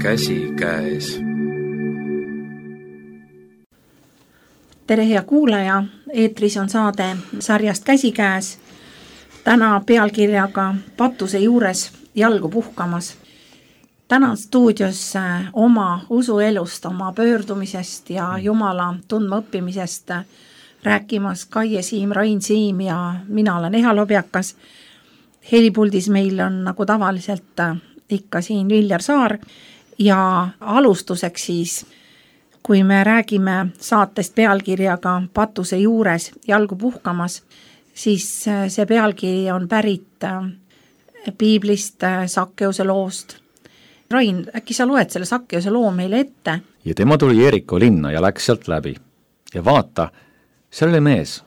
käsikäes. Tere hea kuulaja, eetris on saade sarjast Käsikäes. Täna pealkirjaga Patuse juures jalgu puhkamas. Täna stuudios oma usuelust, oma pöördumisest ja Jumala tundma õppimisest rääkimas Kaie Siim, Rain Siim ja mina olen Eha Lobjakas. Helipuldis meil on nagu tavaliselt ikka siin Viljar Saar ja alustuseks siis, kui me räägime saatest pealkirjaga Patuse juures jalgu puhkamas, siis see pealkiri on pärit piiblist, Sakkeuse loost. Rain, äkki sa loed selle Sakkeuse loo meile ette? Ja tema tuli Jeriko linna ja läks sealt läbi. Ja vaata, seal oli mees,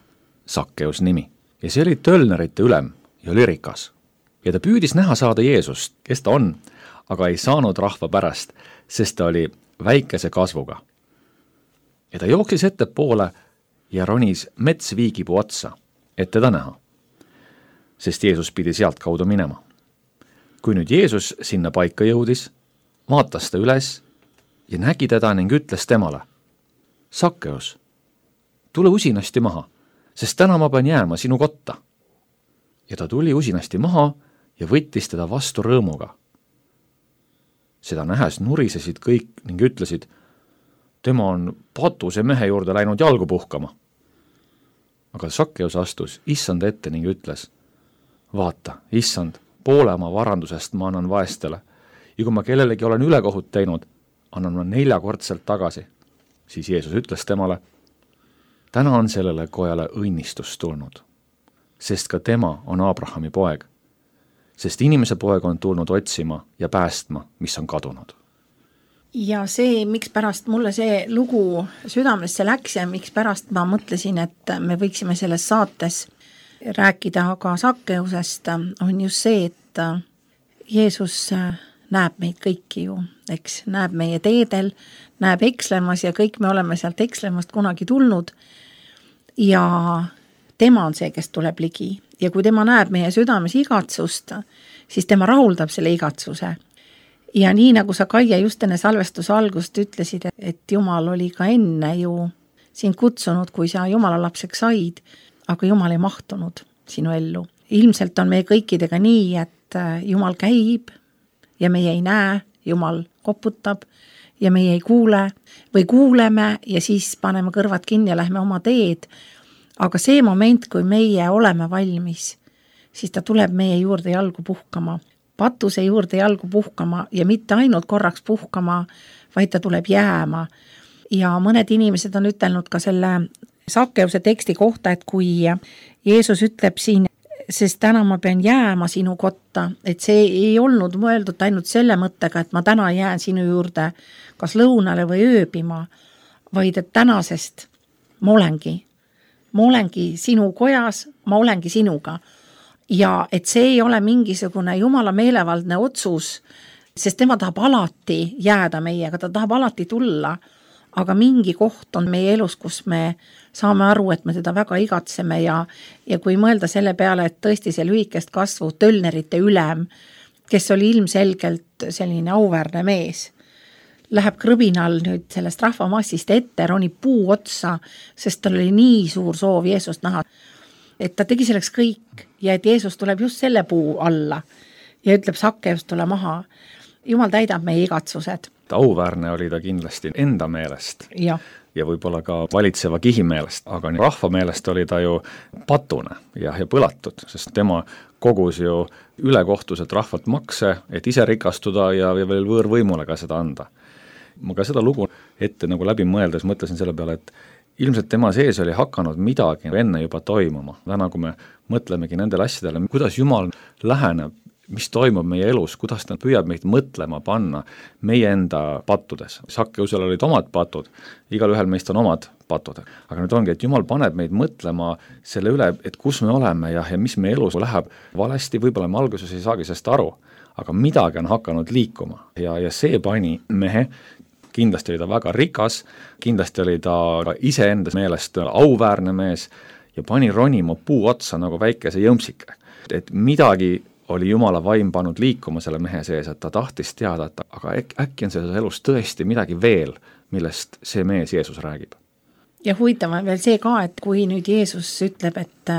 Sakkeus nimi, ja see oli tölnerite ülem ja oli rikas. Ja ta püüdis näha saada Jeesust, kes ta on, aga ei saanud rahva pärast, sest ta oli väikese kasvuga. Ja ta jooksis ettepoole ja ronis metsviigipuu otsa, et teda näha, sest Jeesus pidi sealt kaudu minema. Kui nüüd Jeesus sinna paika jõudis, vaatas ta üles ja nägi teda ning ütles temale: Sakkeus, tule usinasti maha, sest täna ma pean jääma sinu kotta. Ja ta tuli usinasti maha ja võttis teda vastu rõõmuga. Seda nähes nurisesid kõik ning ütlesid: tema on patuse mehe juurde läinud jalgu puhkama. Aga Sakkeus astus issanda ette ning ütles: vaata, issand, poole oma varandusest ma annan vaestele ja kui ma kellelegi olen ülekohut teinud, annan ma 4-kordselt tagasi. Siis Jeesus ütles temale: täna on sellele kojale õnnistus tulnud, sest ka tema on Abrahami poeg, sest inimese poeg on tulnud otsima ja päästma, mis on kadunud. Ja see, miks pärast mulle see lugu südamesse läks ja miks pärast ma mõtlesin, et me võiksime selles saates rääkida ka Sakkeusest, on just see, et Jeesus näeb meid kõiki ju, eks, näeb meie teedel, näeb ekslemas ja kõik me oleme sealt ekslemast kunagi tulnud ja tema on see, kes tuleb ligi ja kui tema näeb meie südames igatsust, siis tema rahuldab selle igatsuse. Ja nii nagu sa, Kaie, just enne salvestuse algust ütlesid, et Jumal oli ka enne ju sind kutsunud, kui sa Jumala lapseks said, aga Jumal ei mahtunud sinu ellu. Ilmselt on meie kõikidega nii, et Jumal käib ja meie ei näe, Jumal koputab ja meie ei kuule või kuuleme ja siis paneme kõrvad kinni ja lähme oma teed. Aga see moment, kui meie oleme valmis, siis ta tuleb meie juurde jalgu puhkama. Patuse juurde jalgu puhkama ja mitte ainult korraks puhkama, vaid ta tuleb jääma. Ja mõned inimesed on ütelnud ka selle Sakkeuse teksti kohta, et kui Jeesus ütleb siin, sest täna ma pean jääma sinu kotta, et see ei olnud mõeldud ainult selle mõttega, et ma täna jään sinu juurde kas lõunale või ööbima, vaid et tänasest ma olengi sinu kojas, ma olengi sinuga. Ja et see ei ole mingisugune Jumala meelevaldne otsus, sest tema tahab alati jääda meiega, ta tahab alati tulla, aga mingi koht on meie elus, kus me saame aru, et me teda väga igatseme ja kui mõelda selle peale, et tõesti see lühikest kasvu tölnerite ülem, kes oli ilmselgelt selline auväärne mees, läheb krõbinal nüüd sellest rahvamassist ette, ronib puu otsa, sest tal oli nii suur soov Jeesust näha, et ta tegi selleks kõik ja et Jeesus tuleb just selle puu alla ja ütleb Sakkeus, tule maha. Jumal täidab meie igatsused. Auväärne oli ta kindlasti enda meelest ja võib-olla ka valitseva kihi meelest, aga rahva meelest oli ta ju patune ja põlatud, sest tema kogus ju ülekohtuselt rahvalt makse, et ise rikastuda ja veel võõrvõimule ka seda anda. Ma ka seda lugu ette nagu läbi mõeldes mõtlesin selle peale, et ilmselt tema sees oli hakanud midagi enne juba toimuma. Täna, kui me mõtlemegi nendele asjadele, kuidas Jumal läheneb, mis toimub meie elus, kuidas ta püüab meid mõtlema panna meie enda pattudes. Sakkeusel olid omad patud, igalühel meist on omad patud. Aga nüüd ongi, et Jumal paneb meid mõtlema selle üle, et kus me oleme ja mis meie elus läheb valesti, võib-olla me alguses ei saagi sellest aru, aga midagi on hakanud liikuma ja see pani mehe. Kindlasti oli ta väga rikas, kindlasti oli ta iseenda meelest auväärne mees ja pani ronima puu otsa nagu väikese jõmpsike. Et midagi oli Jumala vaim pannud liikuma selle mehe sees, et ta tahtis teada, et aga äkki on selles elus tõesti midagi veel, millest see mees Jeesus räägib. Ja huvitav on veel see ka, et kui nüüd Jeesus ütleb, et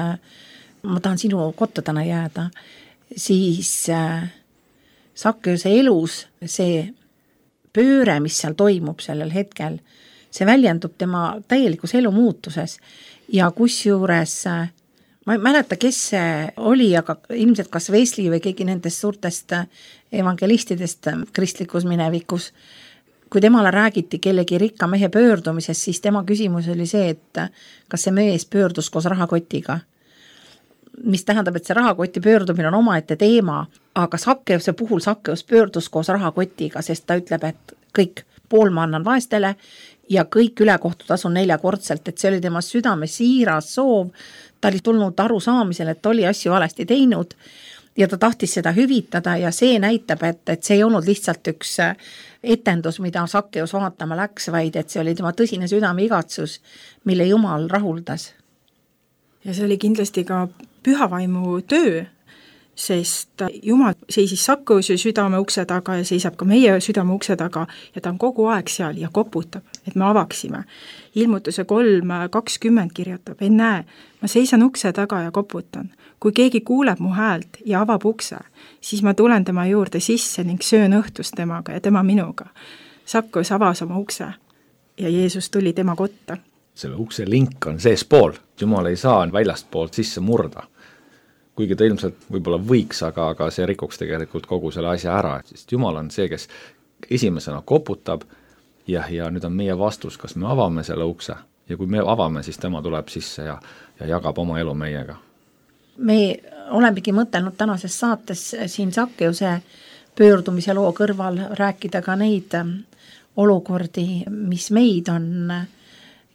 ma tahan sinu kotta täna jääda, siis Sakkeuse elus see pööre, mis seal toimub sellel hetkel, see väljendub tema täielikus elumuutuses ja kusjuures ma ei mäleta, kes see oli, aga ilmselt kas Wesley või keegi nendest suurtest evangelistidest kristlikus minevikus, kui temale räägiti kellegi rikka mehe pöördumisest, siis tema küsimus oli see, et kas see mees pöördus koos rahakotiga. Mis tähendab, et see rahakoti pöördumine on omaette teema, aga Sakkeuse puhul Sakkeus pöördus koos rahakotiga, sest ta ütleb, et kõik pool ma annan vaestele ja kõik ülekohtutasun 4-kordselt, et see oli tema südame siiras soov, ta oli tulnud aru saamisel, et oli asju valesti teinud ja ta tahtis seda hüvitada ja see näitab, et see ei olnud lihtsalt üks etendus, mida Sakkeus vaatama läks, vaid et see oli tema tõsine südame igatsus, mille Jumal rahuldas. Ja see oli kindlasti ka pühavaimu töö, sest Jumal seisis Sakkeuse südame ukse taga ja seisab ka meie südame ukse taga ja ta on kogu aeg seal ja koputab, et me avaksime. Ilmutuse 3:20 kirjutab, ennäe, ma seisan ukse taga ja koputan. Kui keegi kuuleb mu häält ja avab ukse, siis ma tulen tema juurde sisse ning söön õhtust temaga ja tema minuga. Sakkeus avas oma ukse ja Jeesus tuli tema kotta. Selle ukse link on seespool, Jumal ei saa väljast poolt sisse murda. Kuigi ta ilmselt võib-olla võiks, aga see rikuks tegelikult kogu selle asja ära, sest Jumal on see, kes esimesena koputab ja nüüd on meie vastus, kas me avame selle ukse ja kui me avame, siis tema tuleb sisse ja jagab oma elu meiega. Me olemegi mõtelnud tänases saates siin Sakkeuse pöördumise loo kõrval rääkida ka neid olukordi, mis meid on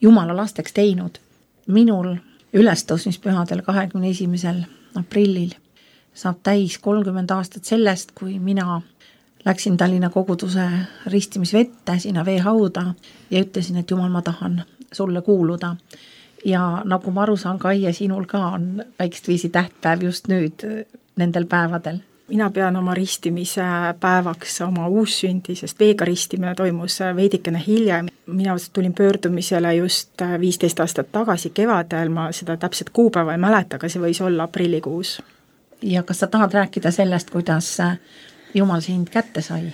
Jumala lasteks teinud. Minul ülestõusmispühadel 21. aprillil saab täis 30 aastat sellest, kui mina läksin Tallinna koguduse ristimisvette sinna veehauda ja ütlesin, et Jumal, ma tahan sulle kuuluda. Ja nagu ma aru saan, Kai ja sinul ka on väikest viisi tähtpäev just nüüd nendel päevadel. Mina pean oma ristimise päevaks oma uussündi, sest veega ristimine toimus veidikene hiljem. Mina tulin pöördumisele just 15 aastat tagasi kevadel, ma seda täpset kuupäeva ei mäleta, aga see võis olla aprillikuus. Ja kas sa tahad rääkida sellest, kuidas Jumal sind kätte sai?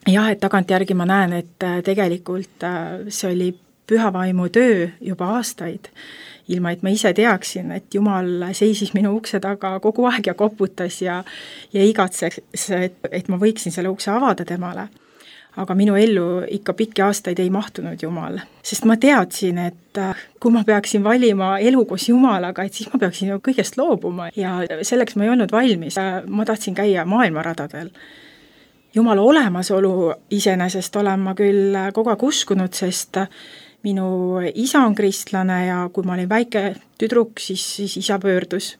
Jah, et tagantjärgi ma näen, et tegelikult see oli pühavaimu töö juba aastaid, ilma et ma ise teaksin, et Jumal seisis minu ukse taga kogu aeg ja koputas ja igatseks, et ma võiksin selle ukse avada temale. Aga minu ellu ikka pikki aastaid ei mahtunud Jumal, sest ma teadsin, et kui ma peaksin valima elu koos Jumalaga, et siis ma peaksin ju kõigest loobuma ja selleks ma ei olnud valmis. Ma tahtsin käia maailmaradadel. Jumala olemasolu iseenesest olen ma küll kogu aeg uskunud, sest minu isa on kristlane ja kui ma olin väike tüdruk, siis isa pöördus.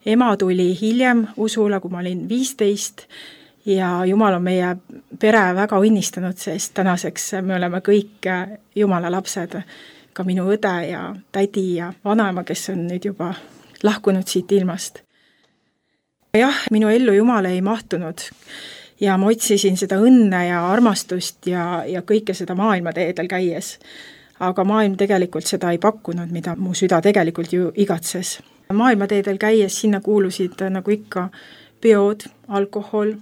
Ema tuli hiljem usule, kui ma olin 15 ja Jumal on meie pere väga õnnistanud, sest tänaseks me oleme kõik Jumala lapsed, ka minu õde ja tädi ja vanaema, kes on nüüd juba lahkunud siit ilmast. Jah, minu ellu Jumal ei mahtunud ja ma otsisin seda õnne ja armastust ja kõike seda maailmateedel käies. Aga maailm tegelikult seda ei pakkunud, mida mu süda tegelikult ju igatses. Maailmateedel käies sinna kuulusid nagu ikka peod, alkohol,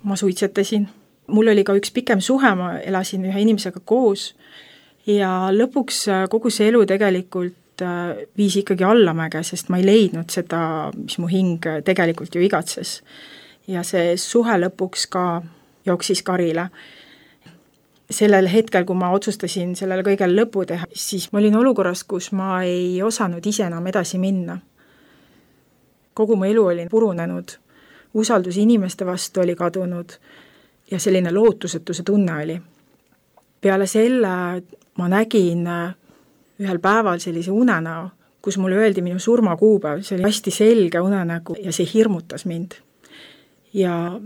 ma suitsetasin. Mul oli ka üks pikem suhe, ma elasin ühe inimesega koos ja lõpuks kogu see elu tegelikult viis ikkagi allamäge, sest ma ei leidnud seda, mis mu hing tegelikult ju igatses. Ja see suhe lõpuks ka jooksis karile. Sellel hetkel, kui ma otsustasin sellele kõigele lõpu teha, siis ma olin olukorras, kus ma ei osanud ise enam edasi minna. Kogu mu elu oli purunenud, usaldus inimeste vastu oli kadunud ja selline lootusetuse tunne oli. Peale selle ma nägin ühel päeval sellise unenäo, kus mulle öeldi minu surmakuupäev, see oli hästi selge unenägu ja see hirmutas mind. Ja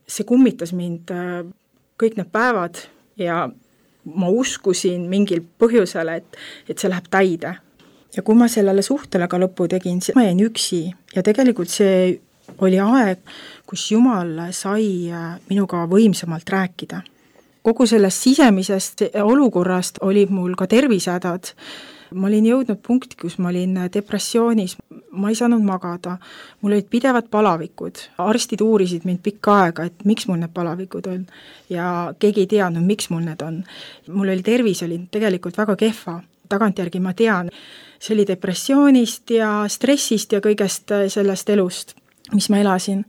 see kummitas mind kõik need päevad ja ma uskusin mingil põhjusel, et see läheb täide. Ja kui ma sellele suhtele ka lõppu tegin, siis ma jäin üksi ja tegelikult see oli aeg, kus Jumal sai minuga võimsamalt rääkida. Kogu sellest sisemisest olukorrast olid mul ka tervisehädad. Ma olin jõudnud punkti, kus ma olin depressioonis, ma ei saanud magada, mul olid pidevad palavikud, arstid uurisid mind pikka aega, et miks mul need palavikud on ja keegi ei teadnud, miks mul need on. Mul oli tervis oli tegelikult väga kehva, tagantjärgi ma tean, see oli depressioonist ja stressist ja kõigest sellest elust, mis ma elasin.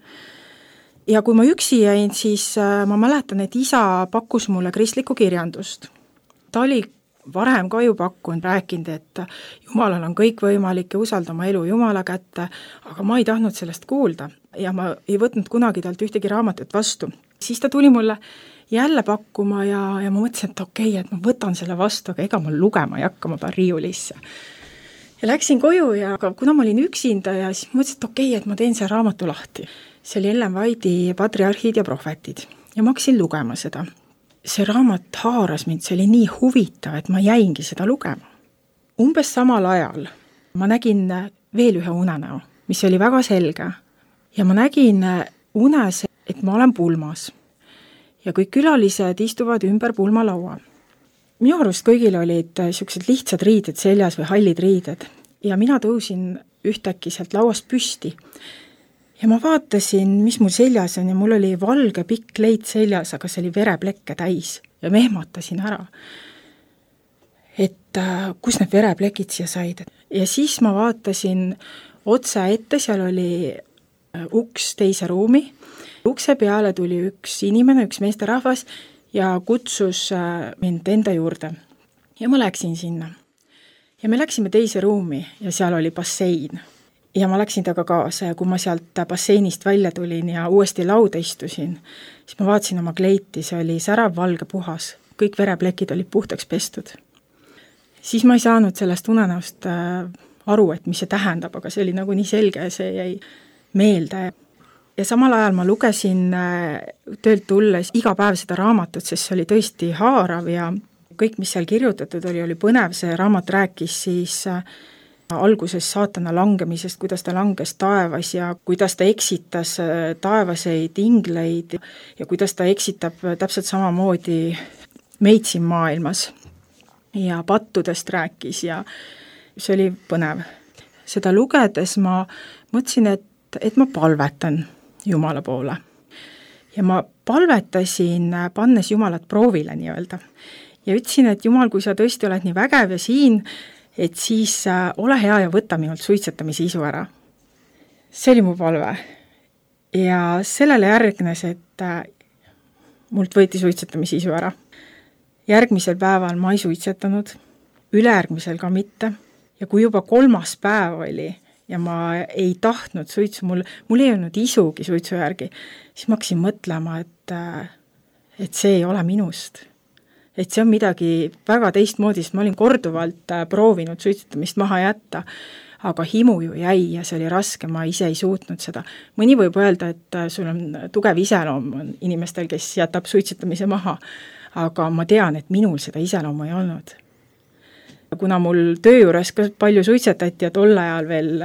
Ja kui ma üksi jäin, siis ma mäletan, et isa pakkus mulle kristlikku kirjandust. Ta oli varem ka ju pakkunud, rääkinud, et Jumalal on kõik võimalik ja usalda oma elu Jumala kätte, aga ma ei tahtnud sellest kuulda ja ma ei võtnud kunagi talt ühtegi raamatut vastu. Siis ta tuli mulle jälle pakkuma ja ma mõtlesin, et okei, et ma võtan selle vastu, aga ega ma lugema ei hakka, ma pean riiulisse. Ja läksin koju ja kuna ma olin üksinda ja siis mõtlesin, et okei, et ma teen see raamatu lahti. See oli Ellen White'i Patriarhid ja prohvetid ja ma hakkasin lugema seda. See raamat haaras mind, see oli nii huvitav, et ma jäingi seda lugema. Umbes samal ajal ma nägin veel ühe unenäo, mis oli väga selge ja ma nägin unes, et ma olen pulmas ja kõik külalised istuvad ümber pulmalaua. Minu arust kõigil olid sellised lihtsad riided seljas või hallid riided ja mina tõusin ühtäkki sealt lauast püsti ja ma vaatasin, mis mul seljas on ja mul oli valge pikk leit seljas, aga see oli vereplekke täis ja ma ehmatasin ära, et kus need vereplekid siia said. Ja siis ma vaatasin otse ette, seal oli uks teise ruumi, ukse peale tuli üks inimene, üks meesterahvas ja kutsus mind enda juurde ja ma läksin sinna. Ja me läksime teise ruumi ja seal oli bassein. Ja ma läksin taga kaasa ja kui ma sealt basseinist välja tulin ja uuesti lauda istusin, siis ma vaatasin oma kleiti, see oli särav valge puhas, kõik vereplekid olid puhtaks pestud. Siis ma ei saanud sellest unenäost aru, et mis see tähendab, aga see oli nagu nii selge ja see jäi meelde. Ja samal ajal ma lugesin töölt tulles iga päev seda raamatut, sest see oli tõesti haarav ja kõik, mis seal kirjutatud oli põnev, see raamat rääkis siis alguses saatana langemisest, kuidas ta langes taevas ja kuidas ta eksitas taevaseid ingleid ja kuidas ta eksitab täpselt samamoodi meid siin maailmas. Ja pattudest rääkis ja see oli põnev. Seda lugedes ma mõtlesin, et ma palvetan Jumala poole. Ja ma palvetasin, pannes Jumalat proovile nii-öelda. Ja ütlesin, et Jumal, kui sa tõesti oled nii vägev ja siin, et siis ole hea ja võta minult suitsetamise isu ära. See oli mu palve. Ja sellele järgnes, et mult võeti suitsetamise isu ära. Järgmisel päeval ma ei suitsetanud, ülejärgmisel ka mitte. Ja kui juba 3. päev oli ja ma ei tahtnud suitsu, mul ei olnud isugi suitsu järgi, siis ma hakkasin mõtlema, et see ei ole minust. Et see on midagi väga teistmoodi, sest ma olin korduvalt proovinud suitsetamist maha jätta, aga himu ju jäi ja see oli raske, ma ise ei suutnud seda. Mõni võib öelda, et sul on tugev iseloom inimestel, kes jätab suitsetamise maha, aga ma tean, et minul seda iseloomu ei olnud. Kuna mul töö juures ka palju suitsetati ja tol ajal veel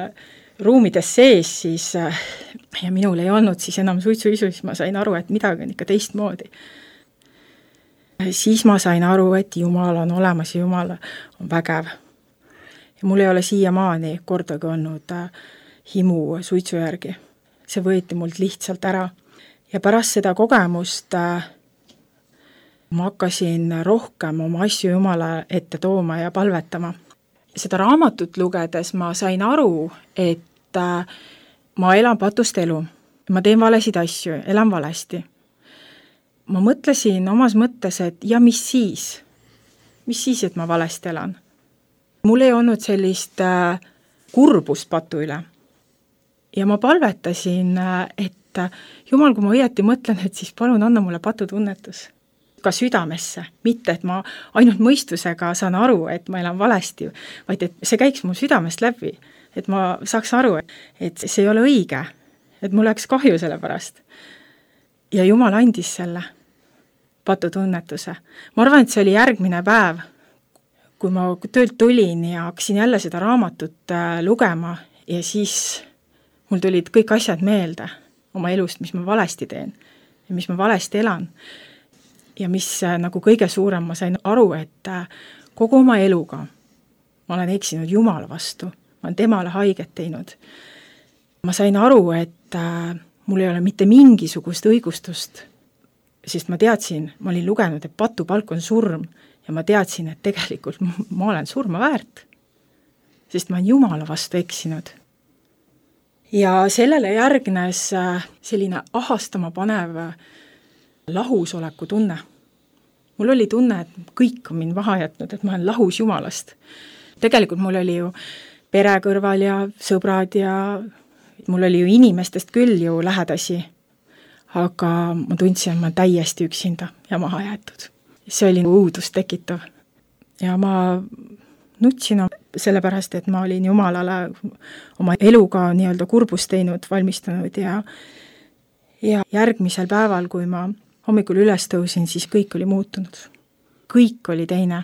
ruumides sees, siis ja minul ei olnud siis enam suitsuisu, siis ma sain aru, et midagi on ikka teistmoodi. Siis ma sain aru, et Jumal on olemas ja Jumal on vägev. Ja mul ei ole siiamaani kordagi olnud himu suitsu järgi. See võeti mult lihtsalt ära. Ja pärast seda kogemust ma hakkasin rohkem oma asju Jumala ette tooma ja palvetama. Seda raamatut lugedes ma sain aru, et ma elan patust elu. Ma teen valesid asju, elan valesti. Ma mõtlesin omas mõttes, et ja mis siis? Mis siis, et ma valesti elan? Mul ei olnud sellist kurbust patu üle. Ja ma palvetasin, et Jumal, kui ma õieti mõtlen, et siis palun anna mulle patutunnetus. Ka südamesse, mitte et ma ainult mõistusega saan aru, et ma elan valesti, vaid et see käiks mu südamest läbi, et ma saaks aru, et see ei ole õige, et mul läks kahju selle pärast. Ja Jumal andis selle patutunnetuse. Ma arvan, et see oli järgmine päev, kui ma töölt tulin ja hakkasin jälle seda raamatut lugema ja siis mul tulid kõik asjad meelde oma elust, mis ma valesti teen ja mis ma valesti elan. Ja mis nagu kõige suurem, ma sain aru, et kogu oma eluga ma olen eksinud Jumala vastu, ma olen temale haiget teinud. Ma sain aru, et mul ei ole mitte mingisugust õigustust, sest ma teadsin, ma olin lugenud, et patupalk on surm ja ma teadsin, et tegelikult ma olen surma väärt, sest ma olen Jumala vastu eksinud. Ja sellele järgnes selline ahastama panev lahusoleku tunne. Mul oli tunne, et kõik on mind maha jätnud, et ma olen lahus Jumalast. Tegelikult mul oli ju pere kõrval ja sõbrad ja mul oli ju inimestest küll ju lähedasi, aga ma tundsin, et ma olen täiesti üksinda ja maha jäetud. See oli õudust tekitav. Ja ma nutsin sellepärast, et ma olin Jumalale oma eluga nii-öelda kurbust teinud, valmistanud ja järgmisel päeval, kui ma hommikul üles tõusin, siis kõik oli muutunud. Kõik oli teine.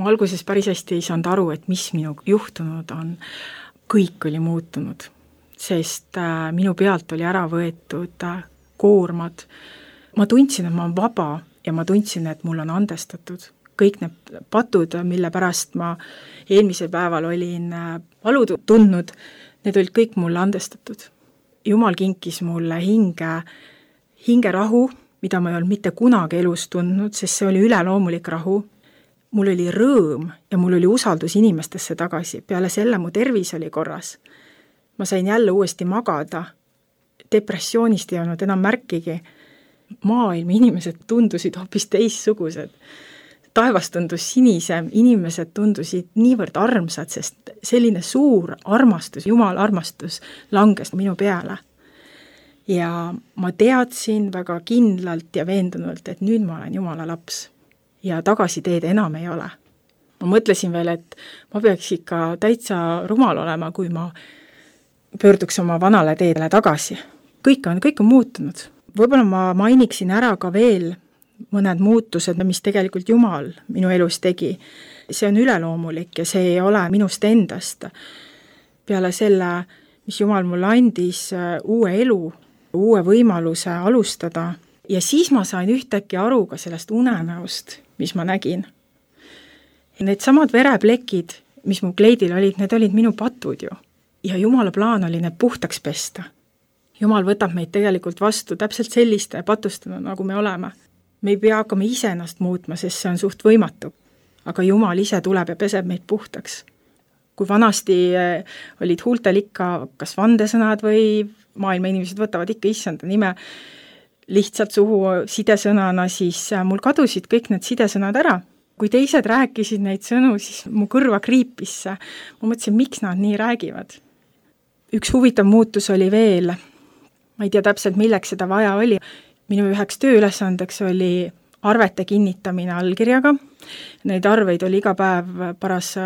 Ma alguses päris hästi ei saanud aru, et mis minu juhtunud on. Kõik oli muutunud, sest minu pealt oli ära võetud koormad. Ma tundsin, et ma olen vaba ja ma tundsin, et mul on andestatud. Kõik need patud, mille pärast ma eelmisel päeval olin valu tundnud, need olid kõik mulle andestatud. Jumal kinkis mulle hingerahu, mida ma ei olnud mitte kunagi elus tundnud, sest see oli üleloomulik rahu. Mul oli rõõm ja mul oli usaldus inimestesse tagasi. Peale selle mu tervis oli korras. Ma sain jälle uuesti magada. Depressioonist ei olnud enam märkigi. Maailma inimesed tundusid hoopis teissugused. Taevas tundus sinisem, inimesed tundusid niivõrd armsad, sest selline suur armastus, Jumala armastus langes minu peale. Ja ma teadsin väga kindlalt ja veendunult, et nüüd ma olen Jumala laps ja tagasiteed enam ei ole. Ma mõtlesin veel, et ma peaks ikka täitsa rumal olema, kui ma pöörduks oma vanale teedele tagasi. Kõik on muutunud. Võib-olla ma mainiksin ära ka veel mõned muutused, mis tegelikult Jumal minu elus tegi. See on üleloomulik ja see ei ole minust endast. Peale selle, mis Jumal mulle andis uue elu, uue võimaluse alustada ja siis ma sain ühtäkki aru ka sellest unenäost, mis ma nägin. Need samad vereplekid, mis mu kleidil olid, need olid minu patud ju. Ja Jumala plaan oli need puhtaks pesta. Jumal võtab meid tegelikult vastu täpselt selliste patustena, nagu me oleme. Me ei pea hakkama ise ennast muutma, sest see on suht võimatu. Aga Jumal ise tuleb ja peseb meid puhtaks. Kui vanasti olid huultel ikka kas vandesõnad või maailma inimesed võtavad ikka issanda nime lihtsalt suhu sidesõnana, siis mul kadusid kõik need sidesõnad ära. Kui teised rääkisid neid sõnu, siis mu kõrva kriipis. Ma mõtlesin, miks nad nii räägivad. Üks huvitav muutus oli veel. Ma ei tea täpselt, milleks seda vaja oli. Minu üheks tööülesandeks oli arvete kinnitamine allkirjaga. Neid arveid oli iga päev paras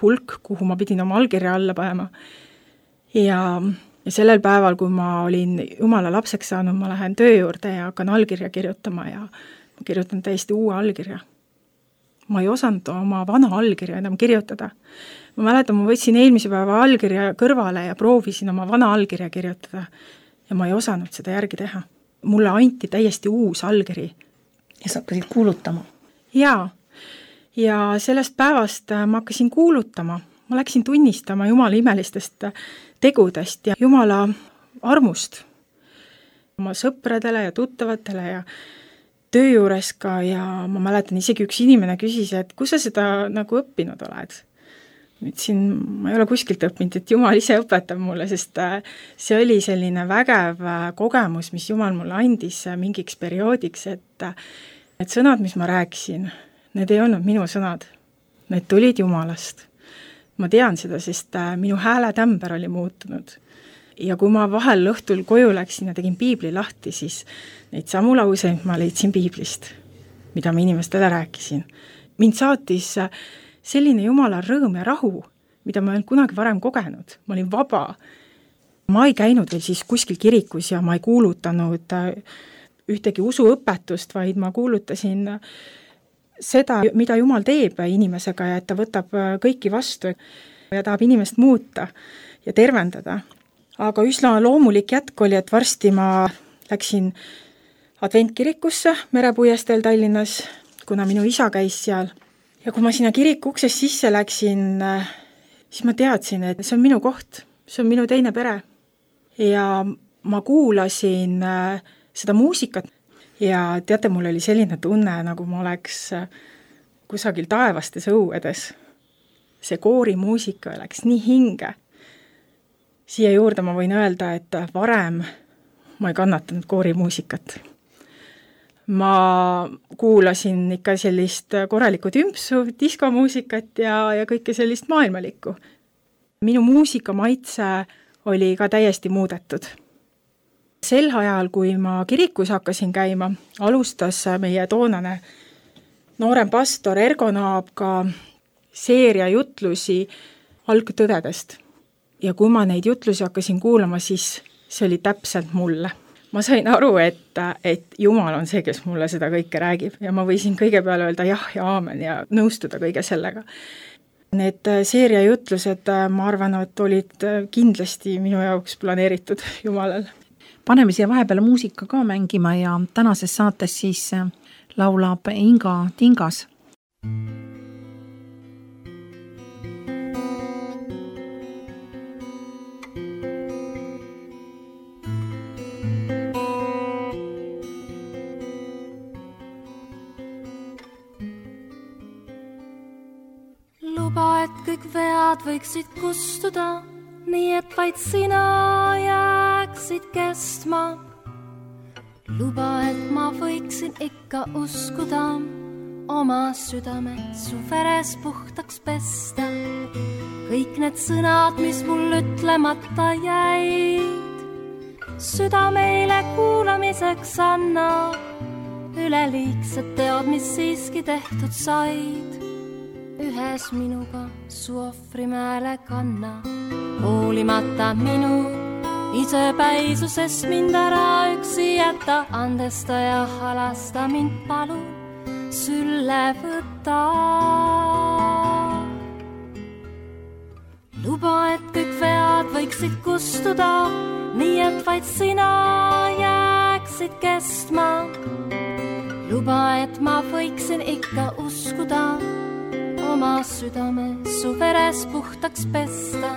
hulk, kuhu ma pidin oma allkirja alla panema. Ja sellel päeval, kui ma olin Jumala lapseks saanud, ma lähen töö juurde ja hakkan allkirja kirjutama ja ma kirjutan täiesti uue allkirja. Ma ei osanud oma vana allkirja enam kirjutada. Ma mäletan, ma võtsin eelmise päeva allkirja kõrvale ja proovisin oma vana allkirja kirjutada ja ma ei osanud seda järgi teha. Mulle anti täiesti uus allkiri. Ja sa hakkasid kuulutama? Jaa. Ja sellest päevast ma hakkasin kuulutama. Ma läksin tunnistama Jumala imelistest tegudest ja Jumala armust oma sõpradele ja tuttavatele ja töö juures ka ja ma mäletan isegi üks inimene küsis, et kus sa seda nagu õppinud oled? Ütlesin, ma ei ole kuskilt õppinud, et Jumal ise õpetab mulle, sest see oli selline vägev kogemus, mis Jumal mulle andis mingiks perioodiks, et need sõnad, mis ma rääkisin, need ei olnud minu sõnad, need tulid Jumalast. Ma tean seda, sest minu hääletämber oli muutunud. Ja kui ma vahel õhtul koju läksin ja tegin piibli lahti, siis neid samu lauseid ma leidsin piiblist, mida ma inimestele rääkisin. Mind saatis selline Jumala rõõm ja rahu, mida ma ei olnud kunagi varem kogenud. Ma olin vaba. Ma ei käinud veel siis kuskil kirikus ja ma ei kuulutanud ühtegi usuõpetust, vaid ma kuulutasin seda, mida Jumal teeb inimesega ja et ta võtab kõiki vastu ja tahab inimest muuta ja tervendada. aga üsna loomulik jätk oli, et varsti ma läksin adventkirikusse Merepuiesteel Tallinnas, kuna minu isa käis seal. Ja kui ma sinna kiriku uksest sisse läksin, siis ma teadsin, et see on minu koht, see on minu teine pere. Ja ma kuulasin seda muusikat ja teate, mul oli selline tunne, nagu ma oleks kusagil taevastes õuedes. See koorimuusika läks nii hinge. Siia juurde ma võin öelda, et varem ma ei kannatanud koorimuusikat. Ma kuulasin ikka sellist korralikku tümpsu, diskomuusikat ja kõike sellist maailmalikku. Minu muusikamaitse oli ka täiesti muudetud. Sel ajal, kui ma kirikus hakkasin käima, alustas meie toonane noorem pastor Ergo Naab ka seeria jutlusi algtõvedest. Ja kui ma neid jutlusi hakkasin kuulama, siis see oli täpselt mulle. Ma sain aru, et Jumal on see, kes mulle seda kõike räägib ja ma võisin kõige peale öelda jah ja aamen ja nõustuda kõige sellega. Need seeria jutlused, ma arvan, et olid kindlasti minu jaoks planeeritud Jumalal. Paneme siia vahepeale muusika ka mängima ja tänases saates siis laulab Inga Tingas. Luba, et kõik vead võiksid kustuda, nii et vaid sina jääksid kestma. Luba, et ma võiksin ikka uskuda, oma südame su veres puhtaks pesta. Kõik need sõnad, mis mul ütlemata jäid, südameile kuulamiseks anna. Üleliigsed teod, mis siiski tehtud said, ühes minuga su ohvrimäele kanna. Hoolimata minu isepäisusest mind ära üksi jätta, andesta ja halasta mind palu sülle võtta. Luba, et kõik vead võiksid kustuda, nii et vaid sina jääksid kestma. Luba, et ma võiksin ikka uskuda, oma südame su veres puhtaks pesta.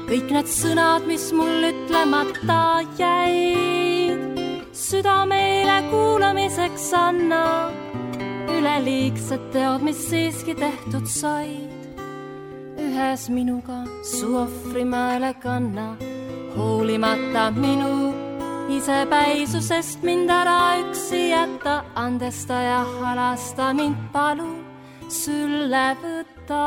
Kõik need sõnad, mis mul ütlemata jäid, südameile kuulamiseks anna. Üleliigsed teod, mis siiski tehtud said, ühes minuga su ohvrimäele kanna. Hoolimata minu isepäisusest mind ära üksi jätta, andesta ja halasta mind palu sülle võtta.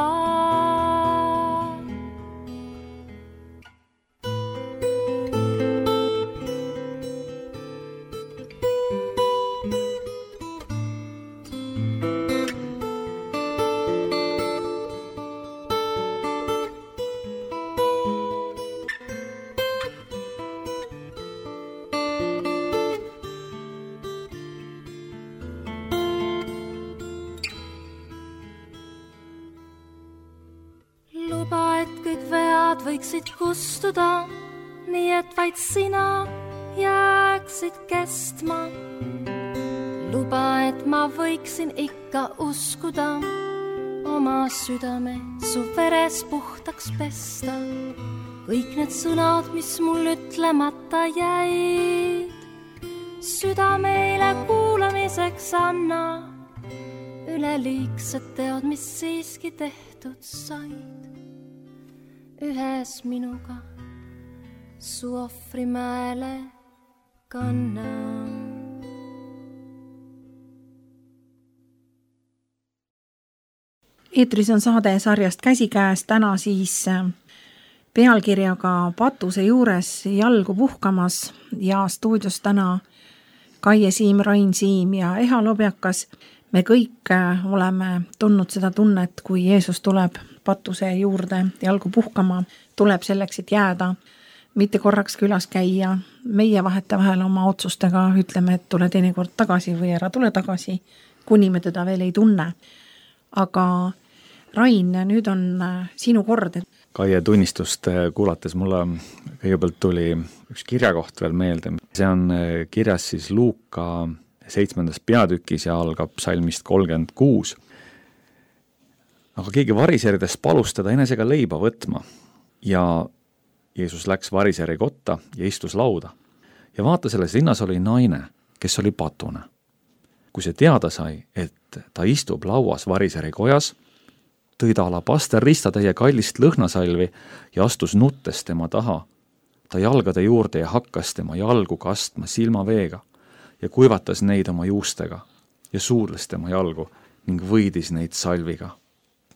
Võiksid kustuda, nii et vaid sina jääksid kestma. Luba, et ma võiksin ikka uskuda, oma südame su veres puhtaks pesta. Kõik need sõnad, mis mul ütlemata jäid, südameile kuulamiseks anna. Üleliigsed teod, mis siiski tehtud said, ühes minuga su ohvrimäele kanna. Eetris on saade sarjast Käsikäes, täna siis pealkirjaga Patuse juures jalgu puhkamas ja stuudios täna Kaie Siim, Rain Siim ja Eha Lobjakas. Me kõik oleme tundnud seda tunnet, kui Jeesus tuleb patuse juurde jalgu puhkama, tuleb selleks, et jääda, mitte korraks külas käia. Meie vahetevahel oma otsustega ütleme, et tule teinekord tagasi või ära tule tagasi, kuni me teda veel ei tunne. Aga Rain, nüüd on sinu kord. Kaie tunnistust kuulates mulle kõigepealt tuli üks kirjakoht veel meelde. See on kirjas siis Luuka 7. peatükis ja algab psalmist 36. Aga keegi variseridest palus teda enesega leiba võtma ja Jeesus läks variseri kotta ja istus lauda. Ja vaata, selles linnas oli naine, kes oli patune. Kui see teada sai, et ta istub lauas variseri kojas, tõi ta alabaster ristatäie kallist lõhnasalvi ja astus nuttes tema taha. Ta jalgade juurde ja hakkas tema jalgu kastma silmaveega ja kuivatas neid oma juustega ja suudles tema jalgu ning võidis neid salviga.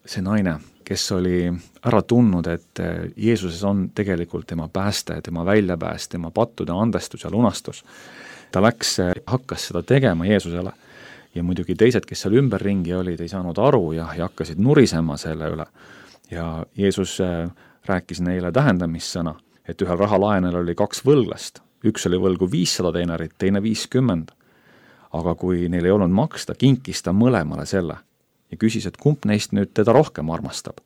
See naine, kes oli ära tundnud, et Jeesuses on tegelikult tema pääste, tema väljapääs, tema pattude andestus ja lunastus. Ta hakkas seda tegema Jeesusele. Ja muidugi teised, kes seal ümberringi olid, ei saanud aru ja hakkasid nurisema selle üle. Ja Jeesus rääkis neile tähendamissõna, et ühel rahalaenel oli 2 võlglast. Üks oli võlgu 500 denarit, teine 50. Aga kui neil ei olnud maksta, kinkis ta mõlemale selle ja küsis, et kumb neist nüüd teda rohkem armastab.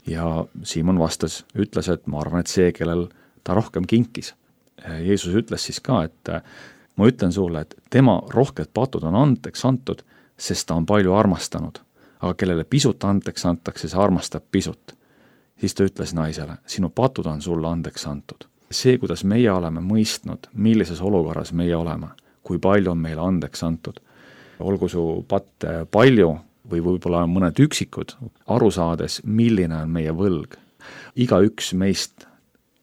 Ja Siimon vastas, ütles, et ma arvan, et see, kellel ta rohkem kinkis. Jeesus ütles siis ka, et ma ütlen sulle, et tema rohked patud on andeks antud, sest ta on palju armastanud. Aga kellele pisut andeks antakse, see armastab pisut. Siis ta ütles naisele, sinu patud on sulle andeks antud. See, kuidas meie oleme mõistnud, millises olukorras meie oleme, kui palju on meile andeks antud. Olgu su patt palju või võib-olla mõned üksikud, aru saades, milline on meie võlg. Igaüks meist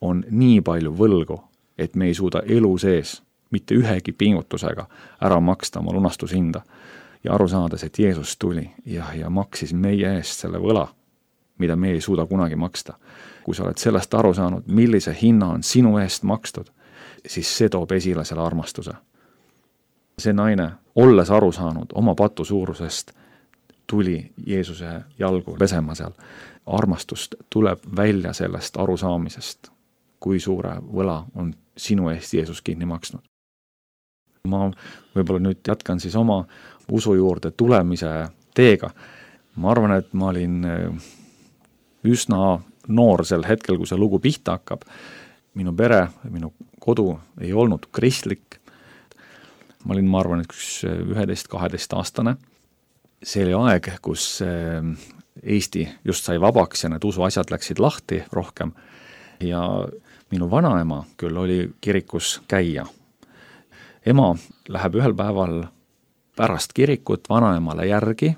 on nii palju võlgu, et me ei suuda elu sees mitte ühegi pingutusega ära maksta oma lunastushinda ja aru saades, et Jeesus tuli ja maksis meie eest selle võla, mida me ei suuda kunagi maksta. Kui sa oled sellest aru saanud, millise hinna on sinu eest makstud, siis see toob esile selle armastuse. See naine, olles aru saanud oma patu suurusest, tuli Jeesuse jalgu pesema seal. Armastust tuleb välja sellest arusaamisest, kui suure võla on sinu eest Jeesus kinni maksnud. Ma võib-olla nüüd jätkan siis oma usu juurde tulemise teega. Ma arvan, et ma olin üsna noor sel hetkel, kui see lugu pihta hakkab. Minu pere, minu kodu ei olnud kristlik. Ma olin, ma arvan, üks 11-12 aastane. See oli aeg, kus Eesti just sai vabaks ja need usuasjad läksid lahti rohkem. Ja minu vanaema küll oli kirikus käia. Ema läheb ühel päeval pärast kirikut vanaemale järgi.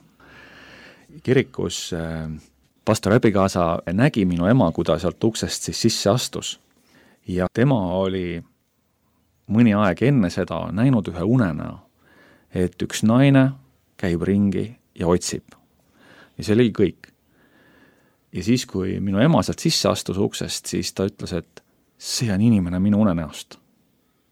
Kirikus pastor abikaasa nägi minu ema, kui ta sealt uksest siis sisse astus. Ja tema oli mõni aeg enne seda näinud ühe unenäo, et üks naine käib ringi ja otsib. Ja see oli kõik. Ja siis, kui minu ema sealt sisse astus uksest, siis ta ütles, et see on inimene minu unenäost.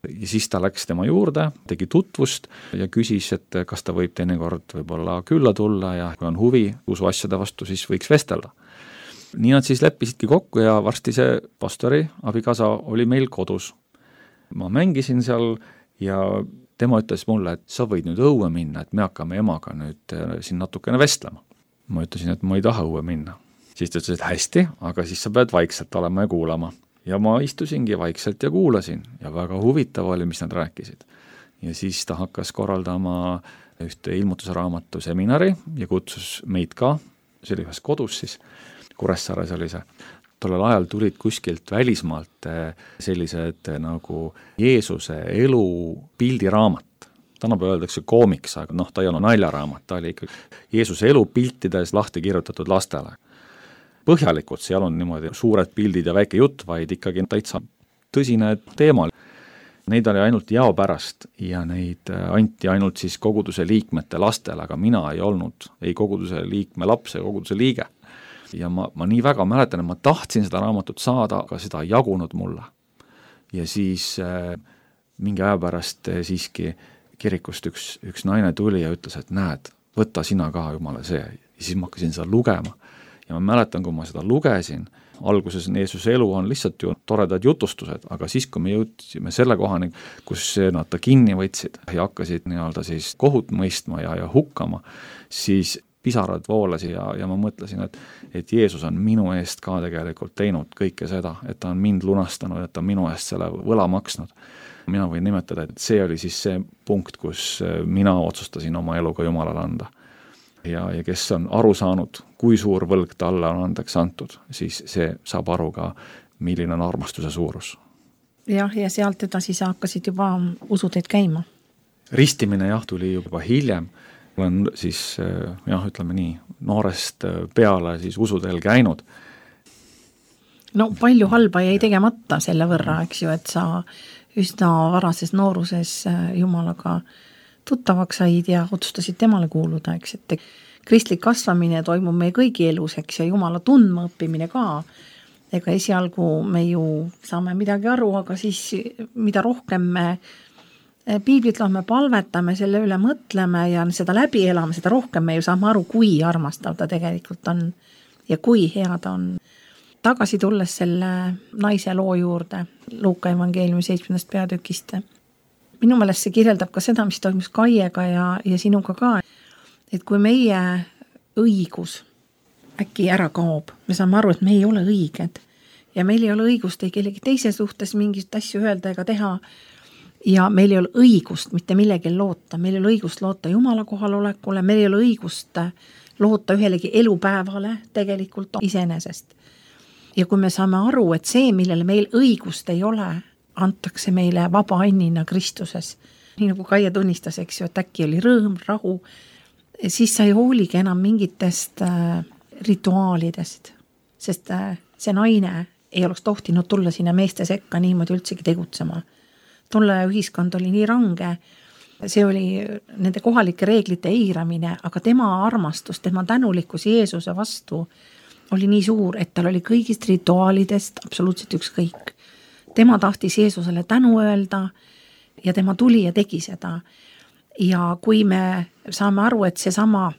Ja siis ta läks tema juurde, tegi tutvust ja küsis, et kas ta võib teinekord võib-olla külla tulla ja kui on huvi usuasjade vastu, siis võiks vestelda. Nii nad siis leppisidki kokku ja varsti see pastori abikaasa oli meil kodus. Ma mängisin seal ja tema ütles mulle, et sa võid nüüd õue minna, et me hakkame emaga nüüd siin natukene vestlema. Ma ütlesin, et ma ei taha õue minna. Siis ta ütles, et hästi, aga siis sa pead vaikselt olema ja kuulama. Ja ma istusingi vaikselt ja kuulasin ja väga huvitav oli, mis nad rääkisid. Ja siis ta hakkas korraldama ühte ilmutusraamatu seminari ja kutsus meid ka, see oli ühes kodus siis, Kuressaares oli see. Tollel ajal tulid kuskilt välismaalt sellised nagu Jeesuse elu pildiraamat. Tänapäeval öeldakse koomiks, aga ta ei olnud naljaraamat, ta oli ikka Jeesuse elu piltides lahti kirjutatud lastele. Põhjalikult, seal on niimoodi suured pildid ja väike jutt, vaid ikkagi täitsa tõsine teema. Neid oli ainult jao pärast ja neid anti ainult siis koguduse liikmete lastele, aga mina ei olnud ei koguduse liikme laps ja koguduse liige. Ja ma nii väga mäletan, et ma tahtsin seda raamatut saada, aga seda ei jagunud mulle. Ja siis mingi aja pärast siiski kirikust üks naine tuli ja ütles, et näed, võta sina ka jumala see. Ja siis ma hakkasin seda lugema. Ja ma mäletan, kui ma seda lugesin, alguses Jeesuse elu on lihtsalt ju toredad jutustused, aga siis, kui me jõudsime selle kohani, kus nad ta kinni võtsid ja hakkasid nii-öelda siis kohut mõistma ja hukkama, siis pisarad voolasid ja ma mõtlesin, et Jeesus on minu eest ka tegelikult teinud kõike seda, et ta on mind lunastanud, et ta on minu eest selle võla maksnud. Mina võin nimetada, et see oli siis see punkt, kus mina otsustasin oma eluga Jumalale anda. Ja kes on aru saanud, kui suur võlg talle on andeks antud, siis see saab aru ka, milline on armastuse suurus. Jah, ja sealt edasi sa hakkasid juba usuteid käima. Ristimine tuli juba hiljem. Olen siis, ütleme nii, noorest peale siis usuteel käinud. No palju halba jäi tegemata selle võrra, eks ju, et sa üsna varases nooruses Jumalaga tuttavaks said ja otsustasid temale kuuluda, eks, et kristlik kasvamine toimub meie kõigi elus, eks, ja Jumala tundma õppimine ka. Ega esialgu me ju saame midagi aru, aga siis mida rohkem me piiblit loeme, palvetame, selle üle mõtleme ja seda läbi elame, seda rohkem me ju saame aru, kui armastav ta tegelikult on ja kui hea ta on. Tagasi tulles selle naise loo juurde, Luuka evangeeliumi 7. peatükist. Minu meelest see kirjeldab ka seda, mis toimus Kaiega ja sinuga ka, et kui meie õigus äkki ära kaob, me saame aru, et me ei ole õiged ja meil ei ole õigust ei kellegi teise suhtes mingit asju öelda ega teha ja meil ei ole õigust mitte millegi loota, meil ei ole õigust loota Jumala kohalolekule, meil ei ole õigust loota ühelegi elupäevale tegelikult iseenesest. Ja kui me saame aru, et see, millele meil õigust ei ole, antakse meile vaba annina Kristuses, nii nagu Kaia tunnistas, eks ju, et äkki oli rõõm, rahu, siis sa ei hooligi enam mingitest rituaalidest, sest see naine ei oleks tohtinud tulla sinna meeste sekka niimoodi üldsegi tegutsema. Tolle ühiskond oli nii range, see oli nende kohalike reeglite eiramine, aga tema armastus, tema tänulikkus Jeesuse vastu oli nii suur, et tal oli kõigist rituaalidest absoluutselt ükskõik. Tema tahtis Jeesusele tänu öelda ja tema tuli ja tegi seda. Ja kui me saame aru, et see sama